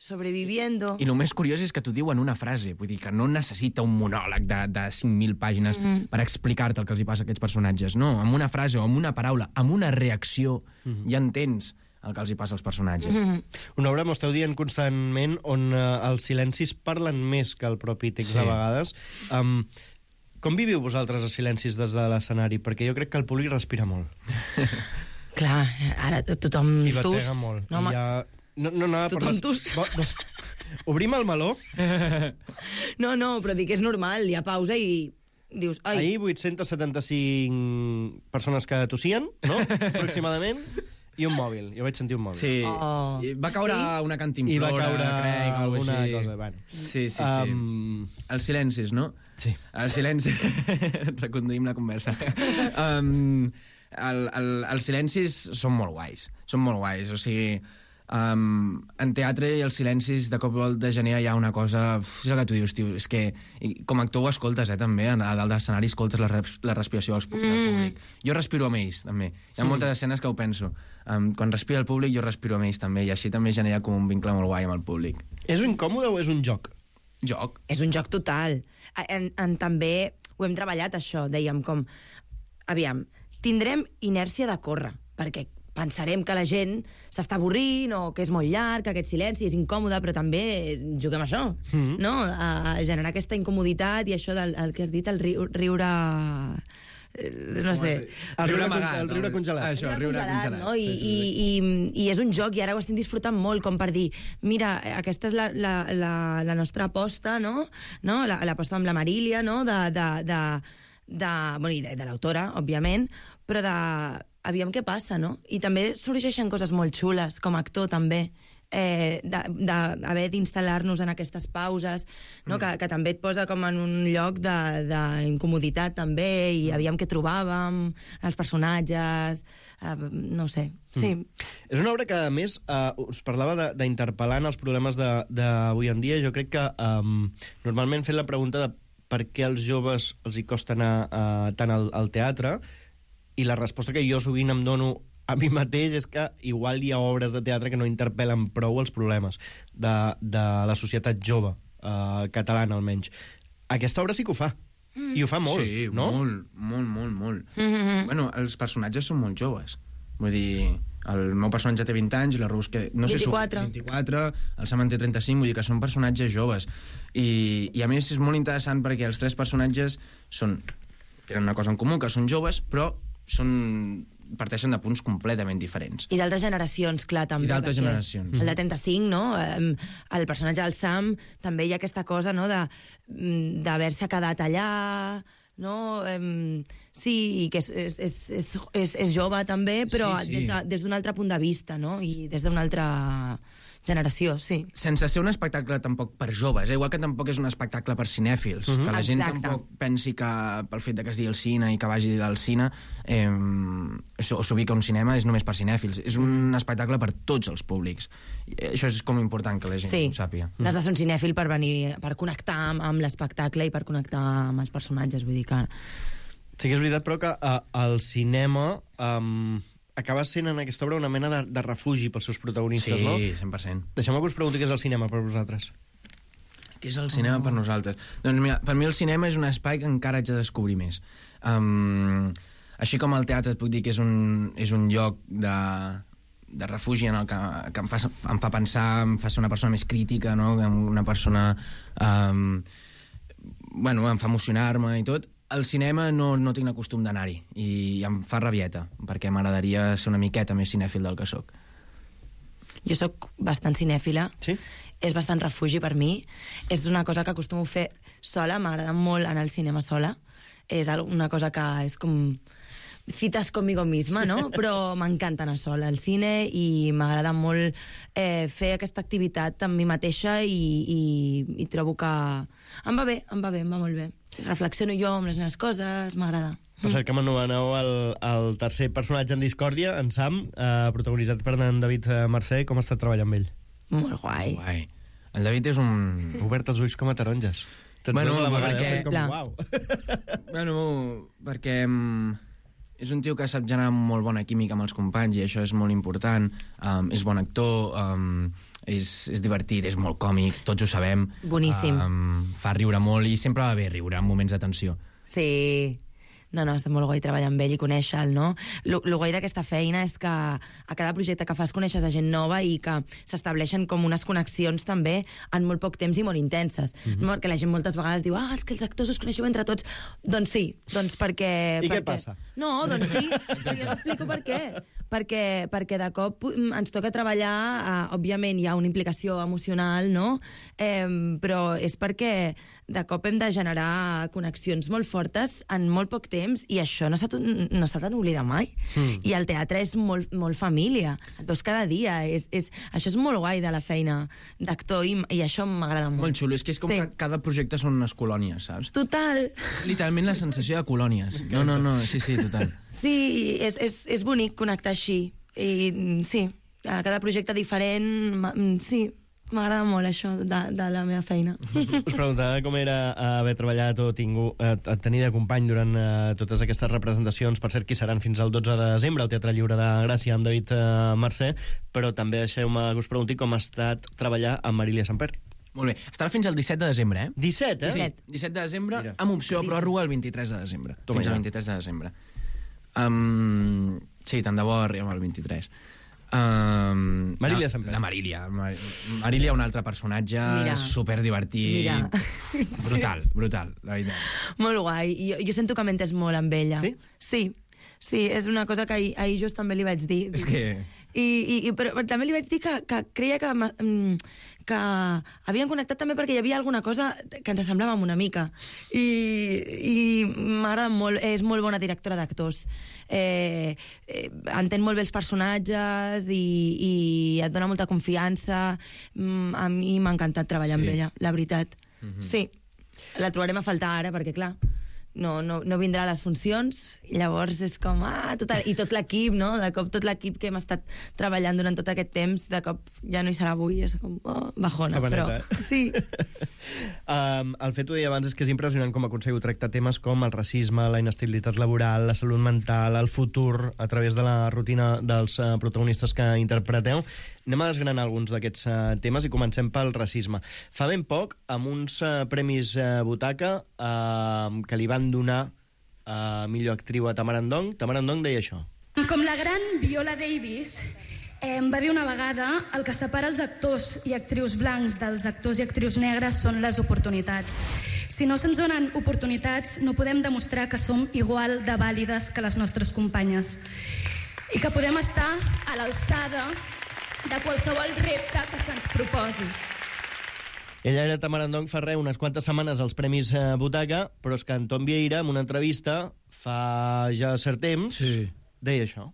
sobreviviendo. I el més curiós és que t'ho diu en una frase, vull dir que no necessita un monòleg de, de cinc mil pàgines mm. per explicar-te el que els hi passa a aquests personatges, no, amb una frase o amb una paraula, amb una reacció, mm. ja entens el que els hi passa als personatges. Mm. Una obra, m'ho esteu dient constantment, on uh, els silencis parlen més que el propi text, sí. A vegades. Um, com viviu vosaltres els silencis des de l'escenari? Perquè jo crec que el públic respira molt. Clar, ara tothom I tus. batega molt. No, I ja... No, no, no, tothom les... tus. No. Obrim el meló. No, no, però dic que és normal, hi ha pausa i dius... Ai. Ahir vuit-cents setanta-cinc persones que tossien, no? Aproximadament. I un mòbil. Jo vaig sentir un mòbil. Sí. Oh. I va caure sí? una cantimplora, I va caure crec, alguna així. cosa. Bueno. Sí, sí, sí. Um... Els silencis, no? Sí. Els silencis... Reconduïm la conversa. um, el, el, els silencis són molt guais. Són molt guais, o sigui... Um, en teatre i els silencis de cop de genera hi ha una cosa, és el que tu dius, tio, és que i com a actor ho escoltes, eh, també, a dalt de l'escenari escoltes la, res, la respiració dels, mm. del públic. Jo respiro amb ells, també. Hi ha mm. moltes escenes que ho penso. Um, quan respira el públic, jo respiro amb ells, també, i així també genera com un vincle molt guai amb el públic. És incòmode o és un joc? Joc. És un joc total. En, en, també ho hem treballat, això, dèiem, com... Aviam, tindrem inèrcia de córrer, perquè pensarem que la gent s'està avorrint o que és molt llarg, que aquest silenci és incòmode, però també juguem a això, mm-hmm. no? A, a generar aquesta incomoditat i això del el que has dit, el riu, riure... no sé... El riure, amagat, el riure congelat. Això, el riure congelat. No? I, i, i, I és un joc, i ara ho estem disfrutant molt, com per dir, mira, aquesta és la, la, la, la nostra aposta, no? no? L'aposta amb la Marília, no? De, de, de, de, bueno, de, de l'autora, òbviament, però de... aviam què passa, no? I també sorgeixen coses molt xules, com a actor, també. Eh, d'haver d'instal·lar-nos en aquestes pauses, no? mm. que, que també et posa com en un lloc d'incomoditat també, i aviam què trobàvem, els personatges, eh, no ho sé, sí. Mm. És una obra que, a més, eh, us parlava d'interpel·lar en els problemes d'avui en dia. Jo crec que um, normalment fent la pregunta de per què als joves els hi costa anar uh, tant al, al teatre, i la resposta que jo sovint em dono a mi mateix és que igual hi ha obres de teatre que no interpel·len prou els problemes de, de la societat jove, eh, catalana almenys. Aquesta obra sí que ho fa, mm. i ho fa molt, sí, no? Sí, molt, molt, molt, molt. Mm-hmm. Bueno, els personatges són molt joves. Vull dir, el meu personatge té vint anys i la Rus que... No vint-i-quatre. Sé, vint-i-quatre, el Sam en té trenta-cinc, vull dir que són personatges joves. I, i a més és molt interessant perquè els tres personatges són, tenen una cosa en comú, que són joves, però són, parteixen de punts completament diferents. I d'altres generacions, clar, també. I d'altres generacions. El de trenta-cinc, no? El personatge del Sam, també hi ha aquesta cosa, no?, d'haver-se quedat allà, no? Sí, i que és, és, és, és, és, és jove, també, però sí, sí. des d'un de, altre punt de vista, no? I des d'una altra generació, sí. Sense ser un espectacle tampoc per joves, eh? Igual que tampoc és un espectacle per cinèfils, uh-huh. que la gent Exacte. tampoc pensi que pel fet de que es digui el cine i que vagi al cine eh, s'ubica un cinema és només per cinèfils. És un espectacle per tots els públics. I això és com important que la gent sí. ho sàpiga. No has de ser un cinèfil per venir, per connectar amb, amb l'espectacle i per connectar amb els personatges, vull dir que... Sí que és veritat, però que uh, el cinema... Um... acaba sent en aquesta obra una mena de, de refugi pels seus protagonistes, sí, no? Sí, cent per cent. Deixeu-me que us pregunti què és el cinema per vosaltres. Què és el cinema oh. per nosaltres? Doncs mira, per mi el cinema és un espai que encara haig de descobrir més. Um, així com el teatre et puc dir que és un, és un lloc de, de refugi en el que, que em, fa, em fa pensar, em fa ser una persona més crítica, no? Una persona... Um, bueno, em fa emocionar-me i tot. Al cinema no, no tinc el costum d'anar-hi i em fa rabieta, perquè m'agradaria ser una miqueta més cinèfil del que sóc. Jo sóc bastant cinèfila. Sí? És bastant refugi per mi. És una cosa que acostumo a fer sola. M'agrada molt anar al cinema sola. És una cosa que és com... cites conmigo misma, no? Però m'encanta anar sola al cine i m'agrada molt eh, fer aquesta activitat amb mi mateixa i, i, i trobo que em va bé, em va bé, em va molt bé. Reflexiono jo amb les meves coses, m'agrada. Per cert, que m'anomeneu el, el tercer personatge en discòrdia, en Sam, eh, protagonitzat per en David Mercè. Com ha estat treballar amb ell? Molt guai. guai. El David és un... Obert els ulls com a taronges. Tots bueno, dos a la vegada, perquè... com, uau. Bueno, perquè... És un tio que sap generar molt bona química amb els companys i això és molt important. Um, és bon actor, um, és, és divertit, és molt còmic, tots ho sabem. Boníssim. Um, fa riure molt i sempre va bé riure en moments de tensió. Sí. No, no, està molt guai treballar amb ell i conèixer-lo, no? Lo, lo guai d'aquesta feina és que a cada projecte que fas coneixes a gent nova i que s'estableixen com unes connexions també en molt poc temps i molt intenses. Mm-hmm. Perquè la gent moltes vegades diu ah, és que els actors us coneixeu entre tots. Doncs sí, doncs perquè... I perquè... què passa? No, doncs sí, jo t'explico per què. Perquè, perquè de cop ens toca treballar, eh, òbviament hi ha una implicació emocional, no? Eh, però és perquè de cop hem de generar connexions molt fortes en molt poc temps i això no s'ha no s'ha d'oblidar mai. Mm. I el teatre és molt, molt família. Et veus cada dia. És, és, això és molt guai de la feina d'actor i, i això m'agrada molt. Molt xulo. És que és com sí. que cada projecte són unes colònies, saps? Total. És literalment la sensació de colònies. No, no, no. Sí, sí, total. Sí, és, és, és bonic connectar així. I sí, a cada projecte diferent, sí, m'agrada molt això de, de la meva feina. Us preguntava com era haver treballat o tingut, eh, tenir de company durant eh, totes aquestes representacions, per cert, que seran fins al dotze de desembre al Teatre Lliure de Gràcia amb David eh, Mercè, però també deixeu-me que us pregunti com ha estat treballar amb Marília Samper. Molt bé. Estarà fins al disset de desembre, eh? disset, eh? Sí, disset de desembre, Mira. amb opció a pròrroga el vint-i-tres de desembre. Toma fins ja. al vint-i-tres de desembre. Um, sí, tant de bo arribem al vint-i-tres. Um, Marília la, Samper. La Marília. Mar Marília, un altre personatge Mira. superdivertit. Mira. Brutal, brutal, la veritat. Molt guai. Jo, jo sento que m'entès molt amb ella. Sí? Sí. Sí, és una cosa que ahir, ahir just també li vaig dir. És que... I, i, i però també li vaig dir que, que creia que, que havien connectat també perquè hi havia alguna cosa que ens semblava una mica. I, i m'agrada molt, és molt bona directora d'actors. Eh, eh, entén molt bé els personatges i, i et dona molta confiança. Mm, a mi m'ha encantat treballar sí. amb ella, la veritat. Mm-hmm. Sí, la trobarem a faltar ara perquè, clar, no, no, no vindrà a les funcions, i llavors és com, ah, tot, i tot l'equip, no? De cop tot l'equip que hem estat treballant durant tot aquest temps, de cop ja no hi serà avui, és com, oh, bajona, però... Eh? Sí. um, el fet, ho deia abans, és que és impressionant com aconseguiu tractar temes com el racisme, la inestabilitat laboral, la salut mental, el futur, a través de la rutina dels uh, protagonistes que interpreteu. Anem a desgranar alguns d'aquests uh, temes i comencem pel racisme. Fa ben poc, amb uns uh, premis uh, Butaca uh, que li van donar a uh, millor actriu a Tamara Ndong. Tamara Ndong deia això. Com la gran Viola Davis eh, va dir una vegada, el que separa els actors i actrius blancs dels actors i actrius negres són les oportunitats. Si no se'ns donen oportunitats, no podem demostrar que som igual de vàlides que les nostres companyes i que podem estar a l'alçada de qualsevol repte que se'ns proposi. Ella era Tamara Ndong fa res, unes quantes setmanes als Premis eh, Butaca, però és que Anton Vieira, en una entrevista, fa ja cert temps, sí. deia això.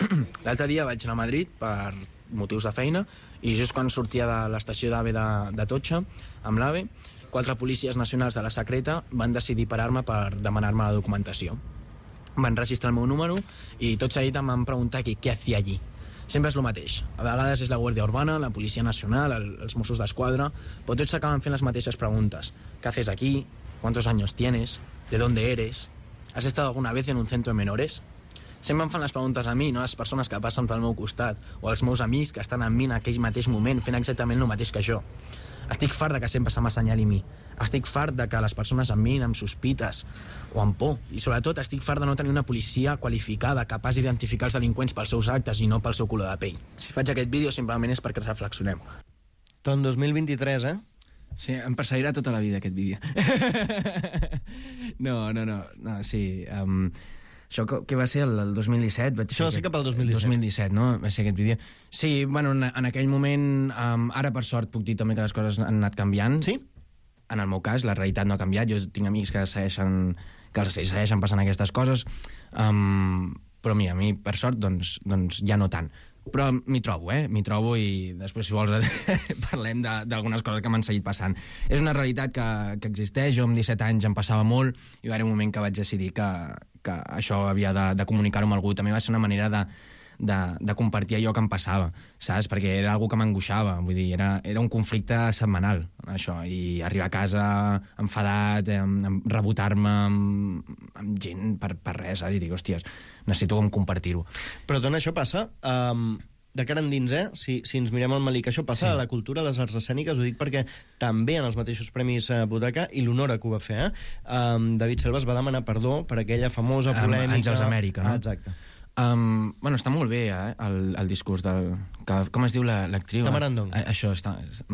L'altre dia vaig anar a Madrid per motius de feina i just quan sortia de l'estació d'AVE de, de Totxa, amb l'AVE, quatre policies nacionals de la secreta van decidir parar-me per demanar-me la documentació. Van registrar el meu número i tot seguit em van preguntar què, què hacía allí. Sempre és el mateix. A vegades és la Guàrdia Urbana, la Policia Nacional, el, els Mossos d'Esquadra, però tots acaben fent les mateixes preguntes. ¿Qué haces aquí? ¿Cuántos años tienes? ¿De dónde eres? ¿Has estado alguna vez en un centro de menores? Sempre em fan les preguntes a mi, no a les persones que passen pel meu costat, o als meus amics que estan amb mi en aquell mateix moment fent exactament el mateix que jo. Estic fart de que sempre se m'assenyali a mi. Estic fart de que les persones em mirin amb sospites o amb por. I sobretot estic fart de no tenir una policia qualificada, capaç d'identificar els delinqüents pels seus actes i no pel seu color de pell. Si faig aquest vídeo simplement és perquè reflexionem. Tot dos mil vint-i-tres, eh? Sí, em perseguirà tota la vida aquest vídeo. no, no, no, no, sí... Um... Això que va ser el, el dos mil disset? Vaig Això va ser cap al dos mil disset. dos mil disset, no? Va ser aquest vídeo. Sí, bueno, en, en aquell moment, um, ara per sort puc dir també que les coses han anat canviant. Sí? En el meu cas, la realitat no ha canviat. Jo tinc amics que segueixen, que els segueixen passant aquestes coses. Um, però mira, a mi, per sort, doncs, doncs ja no tant. Però m'hi trobo, eh? M'hi trobo i després, si vols, parlem d'algunes coses que m'han seguit passant. És una realitat que, que existeix. Jo amb disset anys em passava molt i va haver un moment que vaig decidir que, que això havia de, de comunicar-ho amb algú. També va ser una manera de, de, de compartir allò que em passava, saps? Perquè era algo que m'angoixava. Vull dir, era, era un conflicte setmanal, això. I arribar a casa enfadat, rebotar-me amb, amb gent per, per res, saps? I dic, hòsties, necessito com compartir-ho. Però tot això passa... Um... de cara endins, eh? Si, si ens mirem al Malic, això passa sí. a la cultura, a les arts escèniques, ho dic perquè també en els mateixos premis eh, Butaca, i l'honora que ho va fer, eh? Um, David Selva es va demanar perdó per aquella famosa polèmica... Um, Àngels Amèrica, no? Ah, exacte. Um, bueno, està molt bé, eh, el, el discurs del... Que, com es diu l'actriu? Tamara Ndong. Eh, això,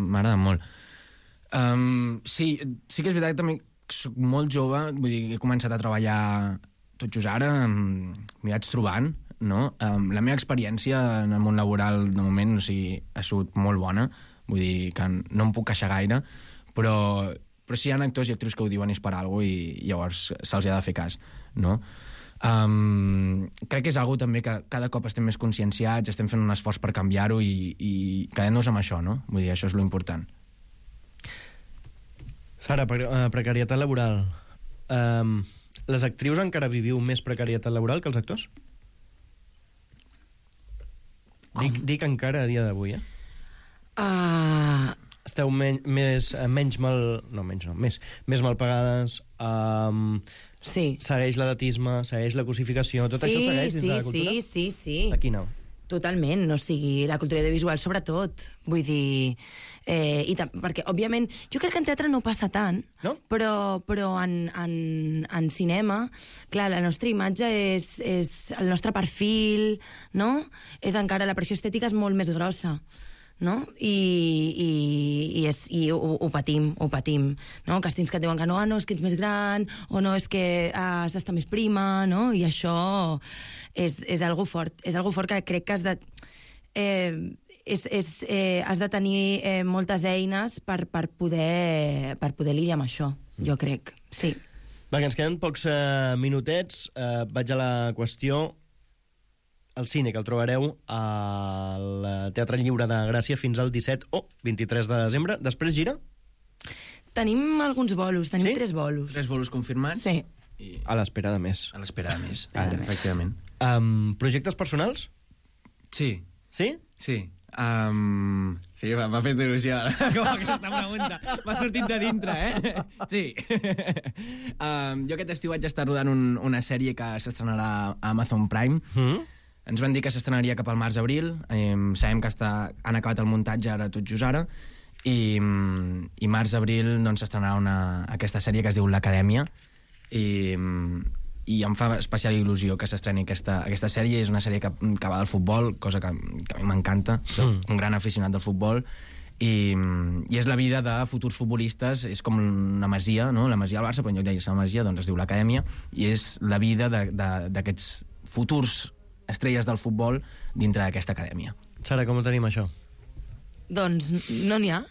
m'agrada molt. Um, sí, sí que és veritat que també soc molt jove, vull dir, he començat a treballar tot just ara, m'hi vaig trobant, no? Um, la meva experiència en el món laboral de moment, o sigui, ha sigut molt bona, vull dir que no em puc queixar gaire, però, però sí hi ha actors i actrius que ho diuen és per alguna cosa i llavors se'ls ha de fer cas, no? Um, crec que és algo també que cada cop estem més conscienciats, estem fent un esforç per canviar-ho i, i quedem-nos amb això, no? Vull dir, això és lo important. Sara, pre uh, precarietat laboral. Um, les actrius encara viviu més precarietat laboral que els actors? Dic, dic encara a dia d'avui, eh? Uh... Esteu men més, menys mal... No, menys no, més, més mal pagades, um, sí. segueix l'edatisme, segueix la cosificació, tot sí, això segueix dins sí, de la cultura? Sí, sí, sí. Aquí no. Totalment, o sigui, la cultura audiovisual sobretot. Vull dir... Eh, i perquè, òbviament, jo crec que en teatre no passa tant, no? però, però en, en, en cinema, clar, la nostra imatge és, és el nostre perfil, no? És encara, la pressió estètica és molt més grossa, no? I, i, i, és, i ho, ho patim, ho patim, no? Càstings que et diuen que no, ah, no, és que ets més gran, o no, és que has d'estar més prima, no? I això és, és algo fort, és algo fort que crec que has de... Eh, és, és, eh, has de tenir eh, moltes eines per, per, poder, per poder lidiar amb això, jo crec, sí. Va, que ens queden pocs eh, minutets. Eh, vaig a la qüestió. El cine, que el trobareu al Teatre Lliure de Gràcia fins al disset o vint-i-tres de desembre. Després gira? Tenim alguns bolos, tenim sí? tres bolos. Tres bolos confirmats? Sí. I... A l'espera de més. A l'espera de més, Ara. efectivament. Um, projectes personals? Sí. Sí? Sí. Um, sí, m'ha fet il·lusió com aquesta pregunta. M'ha sortit de dintre, eh? Sí. um, jo aquest estiu vaig estar rodant un, una sèrie que s'estrenarà a Amazon Prime. Mm. Ens van dir que s'estrenaria cap al març-abril. Um, sabem que està, han acabat el muntatge ara tot just ara. I, um, i març-abril doncs, s'estrenarà una, aquesta sèrie que es diu L'Acadèmia. I... Um, i em fa especial il·lusió que s'estreni aquesta, aquesta sèrie. És una sèrie que, que va del futbol, cosa que, que a mi m'encanta. Soc mm. un gran aficionat del futbol. I, I és la vida de futurs futbolistes. És com una masia, no? La masia al Barça, però en lloc de dir-se la masia doncs es diu l'Acadèmia. I és la vida d'aquests futurs estrelles del futbol dintre d'aquesta acadèmia. Sara, com ho tenim, això? Doncs no n'hi ha.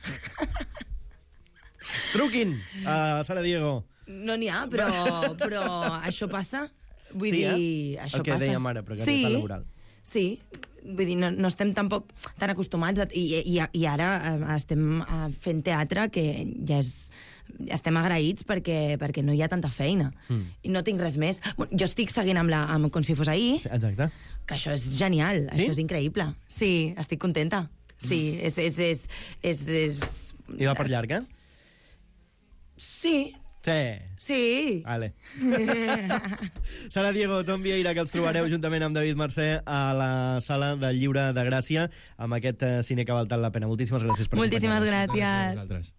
Truquin a Sara Diego. No n'hi ha, però, però això passa. Vull sí, dir, eh? això el que passa. dèiem ara, precarietat sí, laboral. Sí, vull dir, no, no estem tampoc tan acostumats a, i, i, i ara estem fent teatre que ja és... estem agraïts perquè, perquè no hi ha tanta feina. Mm. I no tinc res més. Jo estic seguint amb, la, amb Com si fos ahir. Sí, exacte. Que això és genial, sí? Això és increïble. Sí, estic contenta. Sí, és... és, és, és, és... I va per llarg, eh? Sí. Sí. Sí. Vale. Sara Diego, Tom Vieira, que els trobareu juntament amb David Mercè a la Sala del Lliure de Gràcia amb aquest cine que ha valtat la pena. Moltíssimes gràcies per Moltíssimes acompanyar-nos. gràcies.